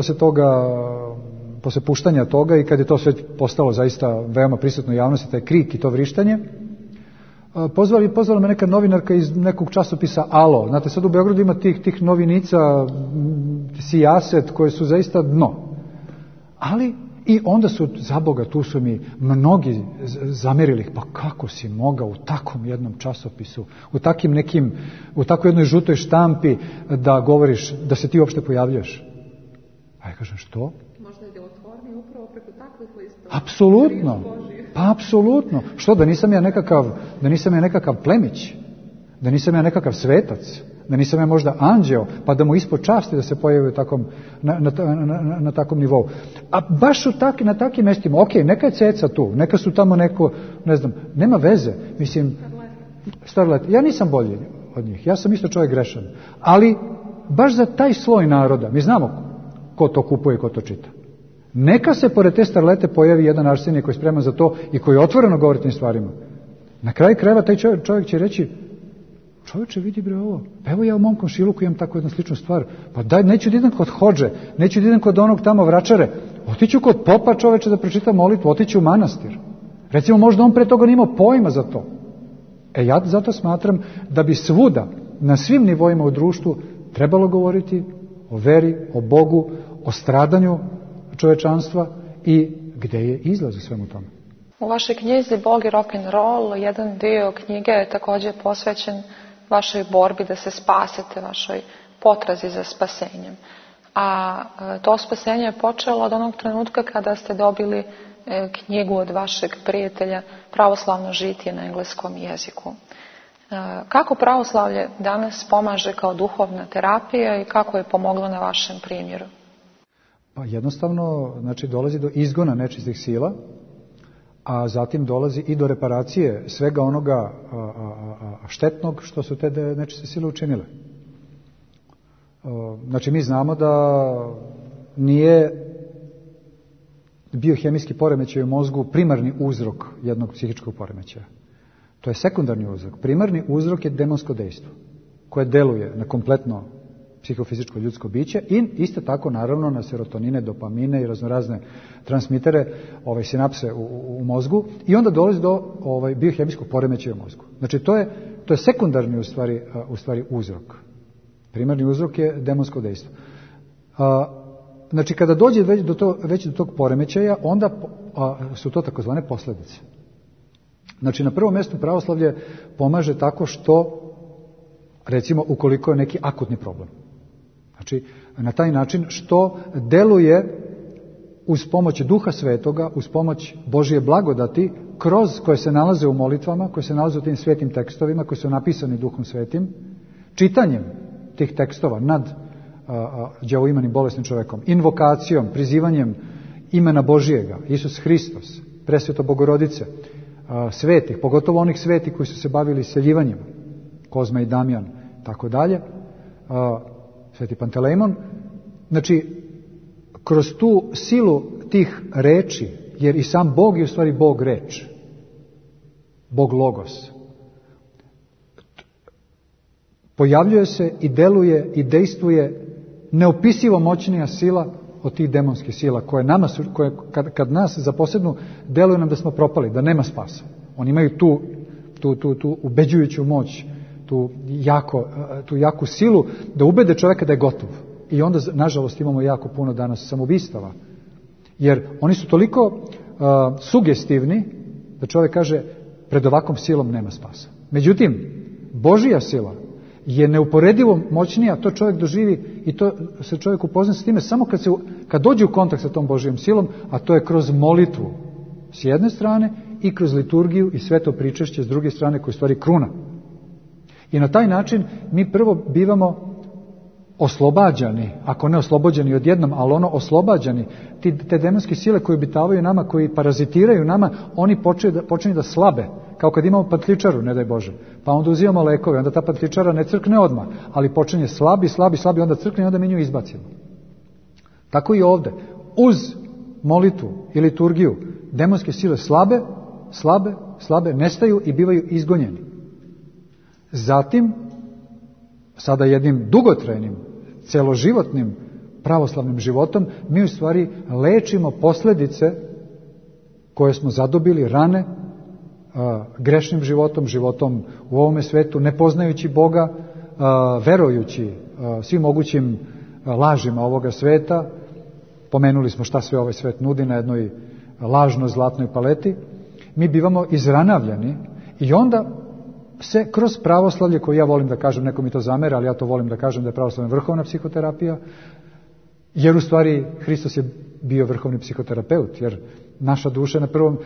posle puštanja toga i kad je to sve postalo zaista veoma prisutno u javnosti, taj krik i to vrištanje, pozvala me neka novinarka iz nekog časopisa Alo. Znate, sad u Beogradu ima tih novinica, sijaset, koje su zaista dno. Ali, i onda su, za Boga, tu su mi mnogi zamerili, pa kako si mogao u takvom jednom časopisu, u takvoj jednoj žutoj štampi da govoriš, da se ti uopšte pojavljaš. A ja kažem, što? Možda je djelotvornije upravo preko takvih listova. Apsolutno. Pa apsolutno. Što, da nisam ja nekakav plemić, da nisam ja nekakav svetac, da nisam ja možda anđeo, pa da mu ispod časti da se pojavi na takvom nivou. A baš na takim mestima, ok, neka je ceca tu, neka su tamo neko, ne znam, nema veze, mislim, starlet. Ja nisam bolji od njih, ja sam isto čovjek grešan, ali baš za taj sloj naroda, mi znamo ko to kupuje, ko to čita. Neka se pored te starlete pojavi jedan Arsenije koji je spreman za to i koji otvoreno govori tim stvarima. Na kraju krajeva taj čovjek će reći, čovječe, vidi bre ovo, evo ja u mom komšiluku imam tako jednu sličnu stvar, pa daj, neću da idem kod hodže, neću da idem kod onog tamo vračare, otiću kod popa, čoveče, da pročitam molitvu, otiću u manastir. Recimo, možda on pre toga nimao pojma za to. Ja zato smatram da bi svuda, na svim nivoima u društvu, trebalo govoriti o veri, o Bogu, o stradanju čovečanstva i gde je izlaz u svemu tome. U vašoj knjizi Bog i rock'n'roll jedan dio knjige je također posvećen vašoj borbi da se spasete, vašoj potrazi za spasenjem. A to spasenje je počelo od onog trenutka kada ste dobili knjigu od vašeg prijatelja Pravoslavno žitije na engleskom jeziku. Kako pravoslavlje danas pomaže kao duhovna terapija i kako je pomoglo na vašem primjeru? Pa jednostavno, znači, dolazi do izgona nečistih sila, a zatim dolazi i do reparacije svega onoga štetnog što su te nečiste sile učinile. Znači, mi znamo da nije biohemijski poremećaj u mozgu primarni uzrok jednog psihičkog poremećaja. To je sekundarni uzrok. Primarni uzrok je demonsko dejstvo, koje deluje na kompletno psihofizičko ljudsko biće i isto tako naravno na serotonine, dopamine i raznorazne transmitere, sinapse u mozgu, i onda dolazi do biohemijskog poremećaja u mozgu. Znači, to je sekundarni u stvari uzrok. Primarni uzrok je demonsko dejstvo. Znači, kada dođe već do tog poremećaja, onda su to takozvane posljedice. Znači, na prvom mjestu pravoslavlje pomaže tako što, recimo, ukoliko je neki akutni problem. Znači, na taj način što deluje uz pomoć Duha Svetoga, uz pomoć Božije blagodati, koje se nalaze u molitvama, koje se nalaze u tim svetim tekstovima, koji su napisani Duhom Svetim, čitanjem tih tekstova nad đavoimanim bolesnim čovjekom, invokacijom, prizivanjem imena Božijega, Isus Hristos, Presveto Bogorodice, svetih, pogotovo onih svetih koji su se bavili seljivanjem, Kozma i Damjan, tako dalje, Sveti Pantelejmon. Znači, kroz tu silu tih reči, jer i sam Bog je u stvari Bog reč, Bog logos, pojavljuje se i deluje i dejstvuje neopisivo moćnija sila od tih demonskih sila koje kad nas zaposednu, deluju nam da smo propali, da nema spasa. Oni imaju tu ubeđujuću moć, tu jaku silu da ubede čovjeka da je gotov. I onda, nažalost, imamo jako puno danas samoubistava. Jer oni su toliko sugestivni da čovjek kaže, pred ovakvom silom nema spasa. Međutim, Božija sila je neuporedivo moćnija, to čovjek doživi i to se čovjek upozna s time samo kad dođe u kontakt sa tom Božijom silom, a to je kroz molitvu s jedne strane i kroz liturgiju i sveto pričešće s druge strane, koje je u stvari kruna. I na taj način mi prvo bivamo oslobađani, ako ne oslobođeni odjednom, ali oslobađani, te demonske sile koje obitavaju nama, koji parazitiraju nama, oni počinju da slabe, kao kad imamo patličaru, ne daj Bože, pa onda uzimamo lekove, onda ta patličara ne crkne odmah, ali počinje slabi, onda crkne i onda mi nju izbacimo. Tako i ovdje, uz molitvu i liturgiju, demonske sile slabe, nestaju i bivaju izgonjeni. Zatim, sada jednim dugotrajnim, celoživotnim pravoslavnim životom, mi u stvari lečimo posljedice koje smo zadobili rane grešnim životom u ovome svetu, ne poznajući Boga, verujući svim mogućim lažima ovoga sveta. Pomenuli smo šta sve ovaj svet nudi na jednoj lažnoj zlatnoj paleti. Mi bivamo izranavljani i onda se kroz pravoslavlje, koje ja volim da kažem, neko mi to zamera, ali ja to volim da kažem da je pravoslavlje vrhovna psihoterapija, jer u stvari Hristos je bio vrhovni psihoterapeut, jer naša duša na prvom,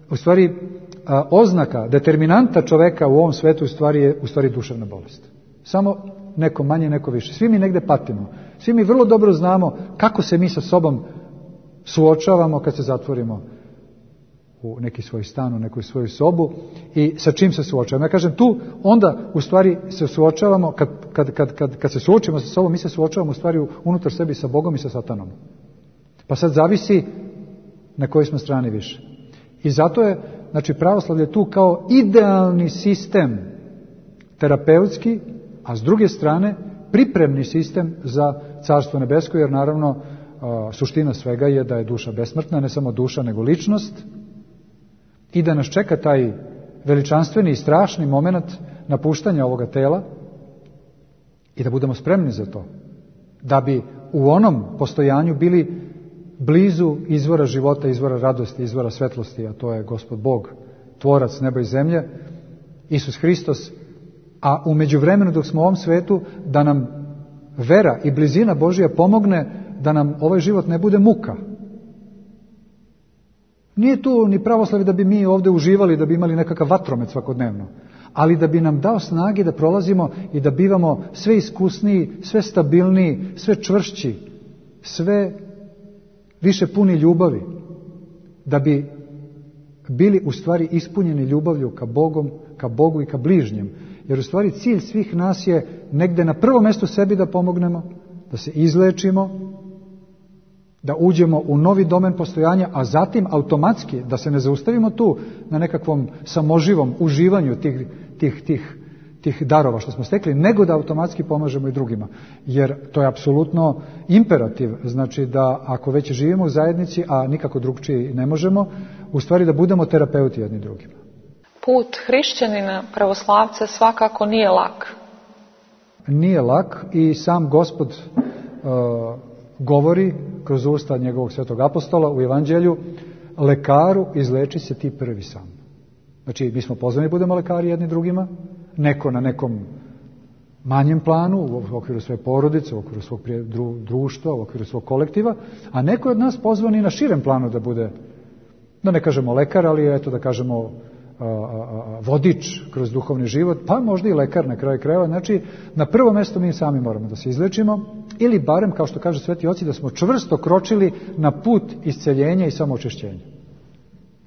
u stvari oznaka, determinanta čoveka u ovom svetu je u stvari duševna bolest. Samo neko manje, neko više. Svi mi negde patimo. Svi mi vrlo dobro znamo kako se mi sa sobom suočavamo kad se zatvorimo u neki svoj stan, u neku svoju sobu i sa čim se suočavamo. Ja kažem, tu onda u stvari se suočavamo, kad se suočimo sa sobom, mi se suočavamo u stvari unutar sebi sa Bogom i sa Satanom. Pa sad zavisi na kojoj smo strani više. I zato je Znači pravoslavlje je tu kao idealni sistem terapeutski, a s druge strane pripremni sistem za Carstvo nebesko, jer naravno suština svega je da je duša besmrtna, ne samo duša nego ličnost, i da nas čeka taj veličanstveni i strašni moment napuštanja ovoga tela i da budemo spremni za to, da bi u onom postojanju bili blizu izvora života, izvora radosti, izvora svetlosti, a to je Gospod Bog, tvorac neba i zemlje, Isus Hristos, a u međuvremenu dok smo u ovom svetu da nam vera i blizina Božja pomogne da nam ovaj život ne bude muka. Nije tu ni pravoslavlje da bi mi ovdje uživali, da bi imali nekakav vatromet svakodnevno, ali da bi nam dao snage da prolazimo i da bivamo sve iskusniji, sve stabilniji, sve čvršći, sve više puni ljubavi, da bi bili u stvari ispunjeni ljubavlju ka Bogu i ka bližnjem. Jer u stvari cilj svih nas je negde na prvom mjestu sebi da pomognemo, da se izlečimo, da uđemo u novi domen postojanja, a zatim automatski da se ne zaustavimo tu na nekakvom samoživom uživanju tih darova što smo stekli, nego da automatski pomažemo i drugima. Jer to je apsolutno imperativ, znači da ako već živimo u zajednici, a nikako drugčije ne možemo, u stvari da budemo terapeuti jedni drugima. Put hrišćanina pravoslavca svakako nije lak. Nije lak i sam Gospod govori kroz usta njegovog svetog apostola u Evanđelju: lekaru, izleči se ti prvi sam. Znači, mi smo pozvani budemo lekari jedni drugima, neko na nekom manjem planu, u okviru svoje porodice, u okviru svog društva, u okviru svog kolektiva, a neko je od nas pozvan i na širem planu da bude, da ne kažemo lekar, ali eto da kažemo vodič kroz duhovni život, pa možda i lekar na kraju krajeva. Znači, na prvo mjesto mi sami moramo da se izlečimo, ili barem, kao što kaže sveti oci, da smo čvrsto kročili na put isceljenja i samoočišćenja.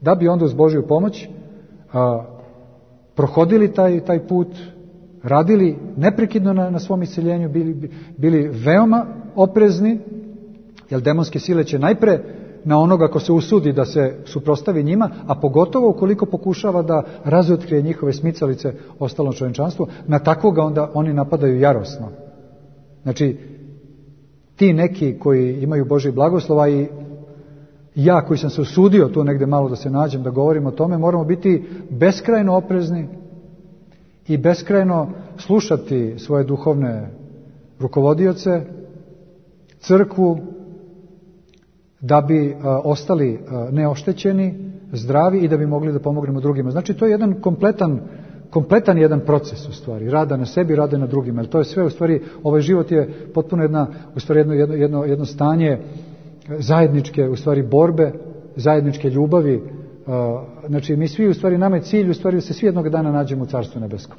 Da bi onda uz Božju pomoć prohodili taj put, radili neprekidno na svom isceljenju, bili veoma oprezni, jer demonske sile će najpre na onoga ko se usudi da se suprotstavi njima, a pogotovo ukoliko pokušava da razotkrije njihove smicalice ostalom čovječanstvu, na takvoga onda oni napadaju jarosno. Znači, ti neki koji imaju Božji blagoslova i ja koji sam se usudio tu negdje malo da se nađem, da govorim o tome, moramo biti beskrajno oprezni i beskrajno slušati svoje duhovne rukovodioce, crkvu, da bi ostali neoštećeni, zdravi i da bi mogli da pomognemo drugima. Znači, to je jedan kompletan jedan proces u stvari, rada na sebi, rada na drugima. Jer to je sve u stvari, ovaj život je potpuno jedno stanje zajedničke u stvari borbe, zajedničke ljubavi. Znači, mi svi u stvari, nama je cilj u stvari da se svi jednog dana nađemo u Carstvu nebeskom.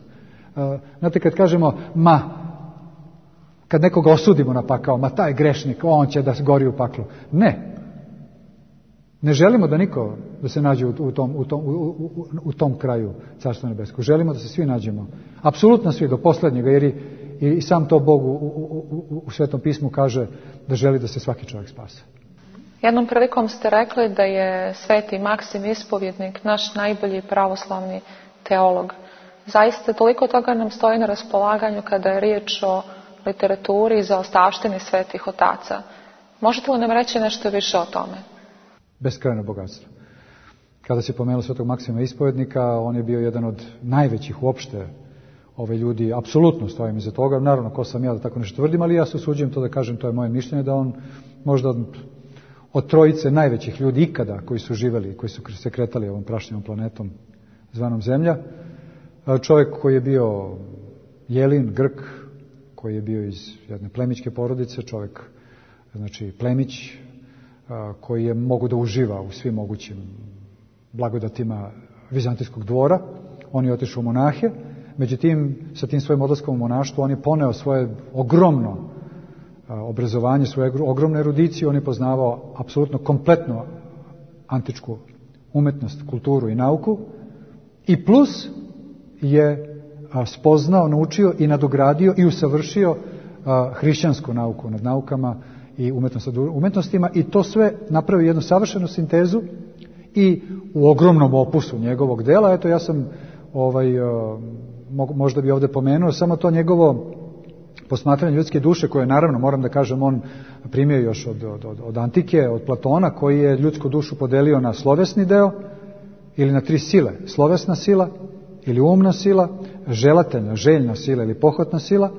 Znate, kad kažemo kad nekoga osudimo na pakao, taj grešnik, on će da gori u paklu. Ne želimo da niko da se nađe u tom kraju Carstva nebeskog. Želimo da se svi nađemo. Apsolutno svi, do posljednjega, jer i sam to Bog u Svetom pismu kaže da želi da se svaki čovjek spase. Jednom prilikom ste rekli da je Sveti Maksim Ispovjednik naš najbolji pravoslavni teolog. Zaista toliko toga nam stoji na raspolaganju kada je riječ o literaturi i zaostavštini svetih otaca. Možete li nam reći nešto više o tome? Beskrajno bogatstvo. Kada se pomenuo Svetog Maksima Ispovjednika, on je bio jedan od najvećih uopšte ljudi. Apsolutno stojim iza toga. Naravno, ko sam ja da tako nešto tvrdim, ali ja se usuđujem to da kažem, to je moje mišljenje, da on možda od trojice najvećih ljudi ikada koji su živjeli, koji su se kretali ovom prašnjevom planetom zvanom Zemlja, čovjek koji je bio Jelin, Grk, koji je bio iz jedne plemićke porodice, čovjek, znači plemić, koji je mogu da uživa u svim mogućim blagodatima vizantijskog dvora. On je otišao u monahe, međutim, sa tim svojim odlaskom u monaštvo on je poneo svoje ogromno obrazovanje, svoje ogromne erudiciju, on je poznavao apsolutno kompletnu antičku umetnost, kulturu i nauku, i plus je spoznao, naučio i nadogradio i usavršio hrišćansku nauku nad naukama i umetnostima, i to sve napravi jednu savršenu sintezu I u ogromnom opusu njegovog dela, eto ja sam možda bi ovdje pomenuo samo to njegovo posmatranje ljudske duše, koje naravno, moram da kažem, on primio još od antike, od Platona, koji je ljudsku dušu podelio na slovesni deo ili na 3 sile. Slovesna sila ili umna sila, želateljna, željna sila ili pohotna sila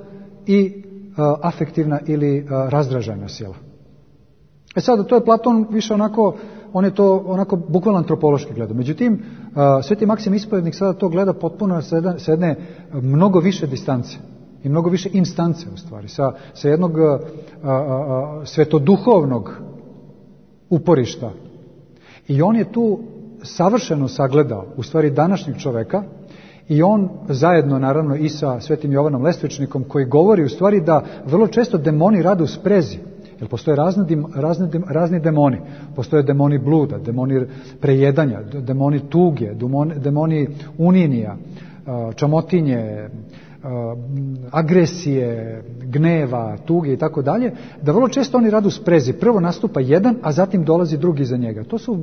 i afektivna ili razdražajna sila. Sad, to je Platon više onako, on je to onako bukvalno antropološki gleda. Međutim, Sveti Maksim Ispovjednik sada to gleda potpuno sa jedne mnogo više distance i mnogo više instance u stvari, sa jednog svetoduhovnog uporišta. I on je tu savršeno sagledao u stvari današnjeg čoveka i on zajedno naravno i sa Svetim Jovanom Lestvičnikom, koji govori u stvari da vrlo često demoni rade u sprezi. Jer postoje razni demoni. Postoje demoni bluda, demoni prejedanja, demoni tuge, demoni uninija, čamotinje, agresije, gneva, tuge i tako dalje, da vrlo često oni rade u sprezi. Prvo nastupa jedan, a zatim dolazi drugi za njega. To su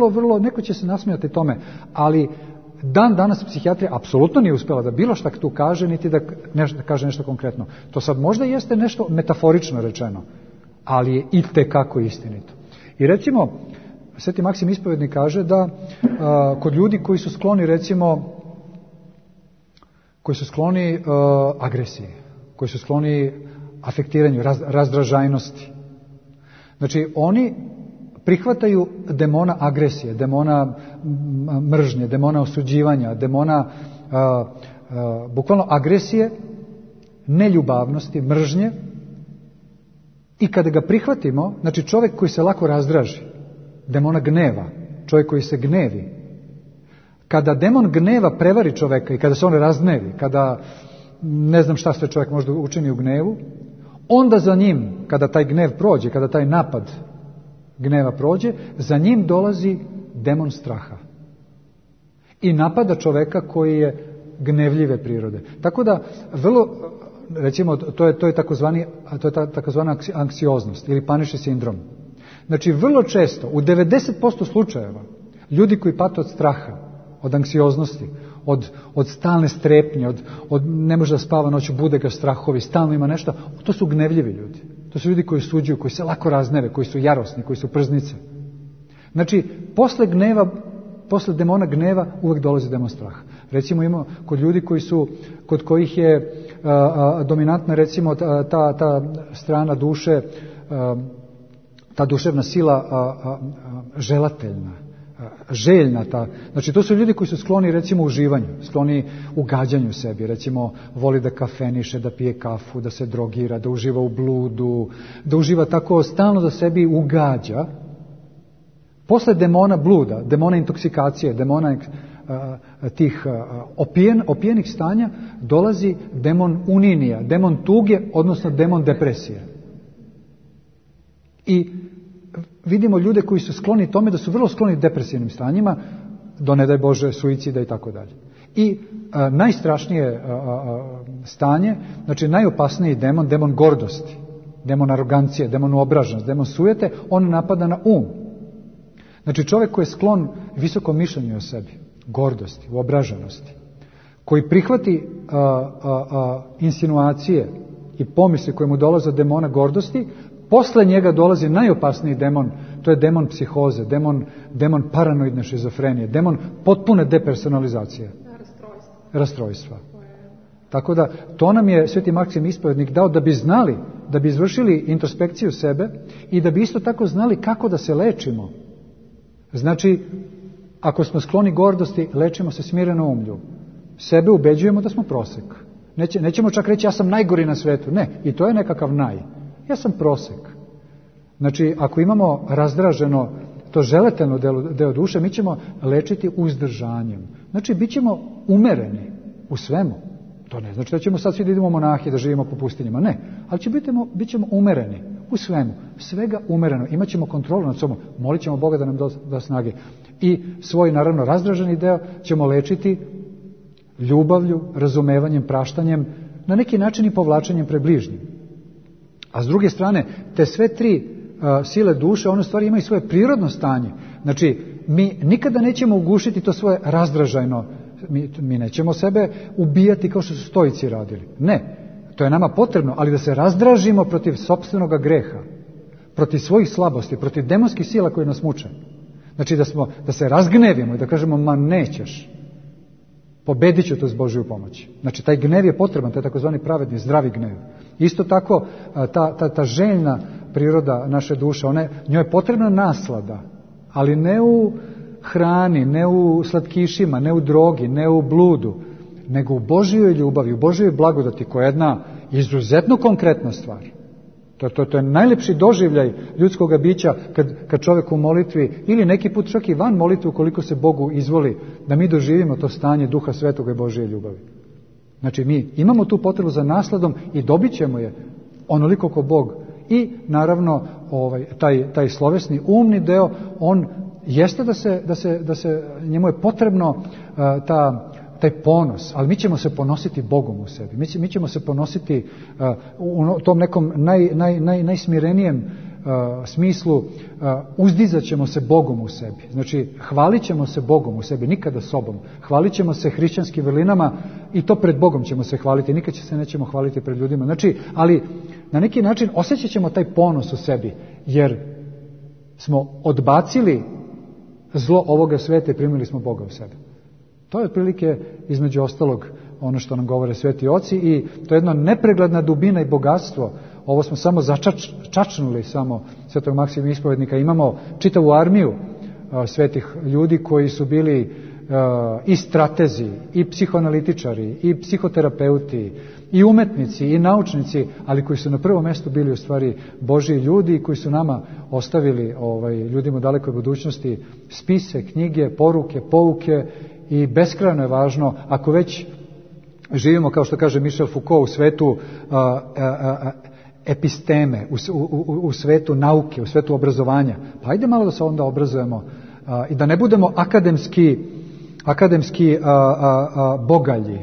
vrlo, neko će se nasmijati tome, ali danas psihijatrija apsolutno nije uspjela da bilo šta tu kaže, niti da kaže nešto konkretno. To sad možda jeste nešto metaforično rečeno, ali je itekako istinito. I recimo, Sveti Maksim Ispovjednik kaže da kod ljudi koji su skloni, recimo, agresiji, koji su skloni afektiranju, razdražajnosti. Znači, oni prihvataju demona agresije, demona mržnje, demona osuđivanja, demona bukvalno agresije, neljubavnosti, mržnje. I kada ga prihvatimo, znači čovjek koji se lako razdraži, demona gneva, čovjek koji se gnevi, kada demon gneva prevari čovjeka i kada se on razgnevi, kada ne znam šta sve čovjek možda učini u gnevu, onda za njim, kada taj gnev prođe, kada taj napad gneva prođe, za njim dolazi demon straha i napada čovjeka koji je gnevljive prirode. Tako da vrlo, recimo, to je takozvana anksioznost ili panični sindrom. Znači, vrlo često, u 90% slučajeva, ljudi koji pate od straha, od anksioznosti, od stalne strepnje, od ne može da spava noću, bude ga strahovi, stalno ima nešto, to su gnevljivi ljudi. To su ljudi koji suđuju, koji se lako razneve, koji su jarosni, koji su prznice. Znači, posle demona gneva uvek dolazi demon straha. Recimo imamo kod ljudi kod kojih je dominantna recimo ta strana duše, ta duševna sila želateljna, željna. Znači to su ljudi koji su skloni recimo uživanju, skloni ugađanju sebi, recimo voli da kafeniše, da pije kafu, da se drogira, da uživa u bludu, da uživa tako stalno da sebi ugađa. Posle demona bluda, demona intoksikacije, demona tih opijenih stanja dolazi demon uninija, demon tuge, odnosno demon depresije. I vidimo ljude koji su skloni tome da su vrlo skloni depresivnim stanjima, do ne daj Bože suicida i tako dalje. I najstrašnije stanje, znači najopasniji demon gordosti, demon arogancije, demon uobraženosti, demon sujete, on napada na um. Znači čovjek koji je sklon visokom mišljenju o sebi, gordosti, uobraženosti, koji prihvati insinuacije i pomisli koje mu dolaze od demona gordosti, posle njega dolazi najopasniji demon, to je demon psihoze, demon paranoidne šizofrenije, demon potpune depersonalizacije, rastrojstva. Tako da to nam je Sveti Maksim Ispovjednik dao da bi znali, da bi izvršili introspekciju sebe i da bi isto tako znali kako da se lečimo. Znači, ako smo skloni gordosti, lečimo se smireno umlju. Sebe ubeđujemo da smo prosek. Nećemo čak reći ja sam najgori na svetu. Ne, i to je nekakav ja sam prosek. Znači, ako imamo razdraženo to želateljno deo duše, mi ćemo lečiti uzdržanjem. Znači, bit ćemo umereni u svemu. To ne znači da ćemo sad svi da idemo monahi, da živimo po pustinjama. Ne, ali bit ćemo umereni u svemu. Svega umereno. Imaćemo kontrolu nad sobom. Molit ćemo Boga da nam da snage. I svoj, naravno, razdraženi deo ćemo lečiti ljubavlju, razumevanjem, praštanjem, na neki način i povlačenjem pred bližnjim. A s druge strane, te sve tri sile duše, one stvari imaju svoje prirodno stanje. Znači, mi nikada nećemo ugušiti to svoje razdražajno, mi nećemo sebe ubijati kao što su stoici radili. Ne, to je nama potrebno, ali da se razdražimo protiv sopstvenoga greha, protiv svojih slabosti, protiv demonskih sila koje nas muče. Znači da se razgnevimo i da kažemo, ma nećeš, pobedit ću to s Božju pomoći. Znači taj gnev je potreban, to je takozvani pravedni, zdravi gnev. Isto tako ta željna priroda naše duše, njoj je potrebna naslada, ali ne u hrani, ne u slatkišima, ne u drogi, ne u bludu, nego u Božjoj ljubavi, u Božjoj blagodati, koja je jedna izuzetno konkretna stvar. To je najlepši doživljaj ljudskoga bića kad čovjek u molitvi, ili neki put čak i van molitve, ukoliko se Bogu izvoli, da mi doživimo to stanje Duha Svetoga i Božje ljubavi. Znači mi imamo tu potrebu za nasladom i dobit ćemo je onoliko ko Bog. I naravno taj slovesni umni deo, on jeste da se njemu je potrebno taj ponos, ali mi ćemo se ponositi Bogom u sebi. Mi ćemo se ponositi u tom nekom najsmirenijem smislu, uzdizat ćemo se Bogom u sebi. Znači, hvalit ćemo se Bogom u sebi, nikada sobom. Hvalit ćemo se hrišćanskim vrlinama i to pred Bogom ćemo se hvaliti. Nikad se nećemo hvaliti pred ljudima. Znači, ali na neki način osjećat ćemo taj ponos u sebi, jer smo odbacili zlo ovoga sveta i primili smo Boga u sebe. To je otprilike, između ostalog, ono što nam govore sveti oci, i to je jedna nepregledna dubina i bogatstvo. Ovo smo samo čačnuli samo svetog Maksima Ispovednika. Imamo čitavu armiju svetih ljudi koji su bili i stratezi, i psihoanalitičari, i psihoterapeuti, i umetnici, i naučnici, ali koji su na prvom mjestu bili u stvari Božji ljudi i koji su nama ostavili, ljudima u dalekoj budućnosti, spise, knjige, poruke, pouke. I beskrajno je važno, ako već živimo, kao što kaže Michel Foucault, u svetu episteme, u svetu nauke, u svetu obrazovanja, pa ajde malo da se onda obrazujemo i da ne budemo akademski bogalji,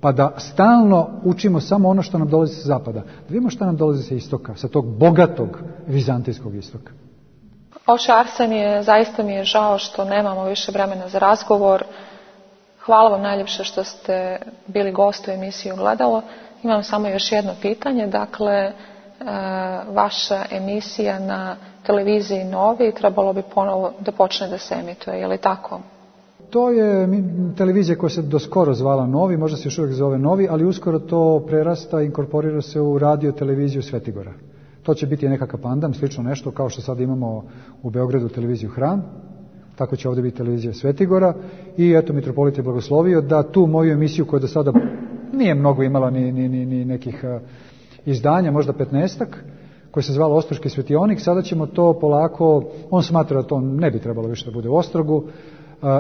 pa da stalno učimo samo ono što nam dolazi sa zapada. Da vidimo što nam dolazi sa istoka, sa tog bogatog vizantijskog istoka. Oče Arsenije, zaista mi je žao što nemamo više vremena za razgovor. Hvala vam najljepše što ste bili gost u emisiji Ogledalo. Imam samo još jedno pitanje. Dakle, vaša emisija na televiziji Novi trebalo bi ponovo da počne da se emituje, je li tako? To je televizija koja se do skoro zvala Novi, možda se još uvijek zove Novi, ali uskoro to prerasta i inkorporira se u radio televiziju Svetigora. To će biti nekakav pandam, slično nešto kao što sad imamo u Beogradu televiziju Hram, tako će ovdje biti televizija Svetigora. I eto, mitropolit je blagoslovio da tu moju emisiju, koja do sada nije mnogo imala ni nekih izdanja, možda 15-ak, koja se zvala Ostroški svetionik, sada ćemo to polako, on smatra da to ne bi trebalo više da bude u Ostrogu,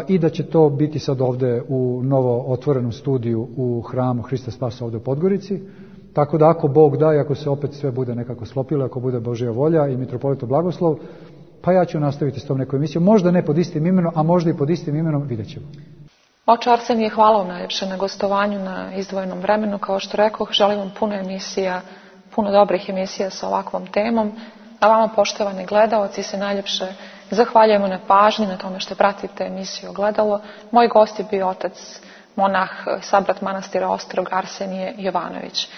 i da će to biti sad ovdje u novo otvorenom studiju u hramu Hrista Spasa ovdje u Podgorici. Tako da ako Bog da i ako se opet sve bude nekako sklopilo, ako bude Božja volja i mitropolita blagoslov, pa ja ću nastaviti s tom nekom emisijom. Možda ne pod istim imenom, a možda i pod istim imenom, vidjet ćemo. Oče Arsenije, hvala vam najljepše na gostovanju, na izdvojenom vremenu. Kao što rekoh, želim vam puno emisija, puno dobrih emisija sa ovakvom temom. A vama, poštovani gledaoci, se najljepše zahvaljujemo na pažnji, na tome što pratite emisiju Ogledalo. Moj gost je bio otac monah, sabrat manastira Ostrog, Arsenije Jovanović.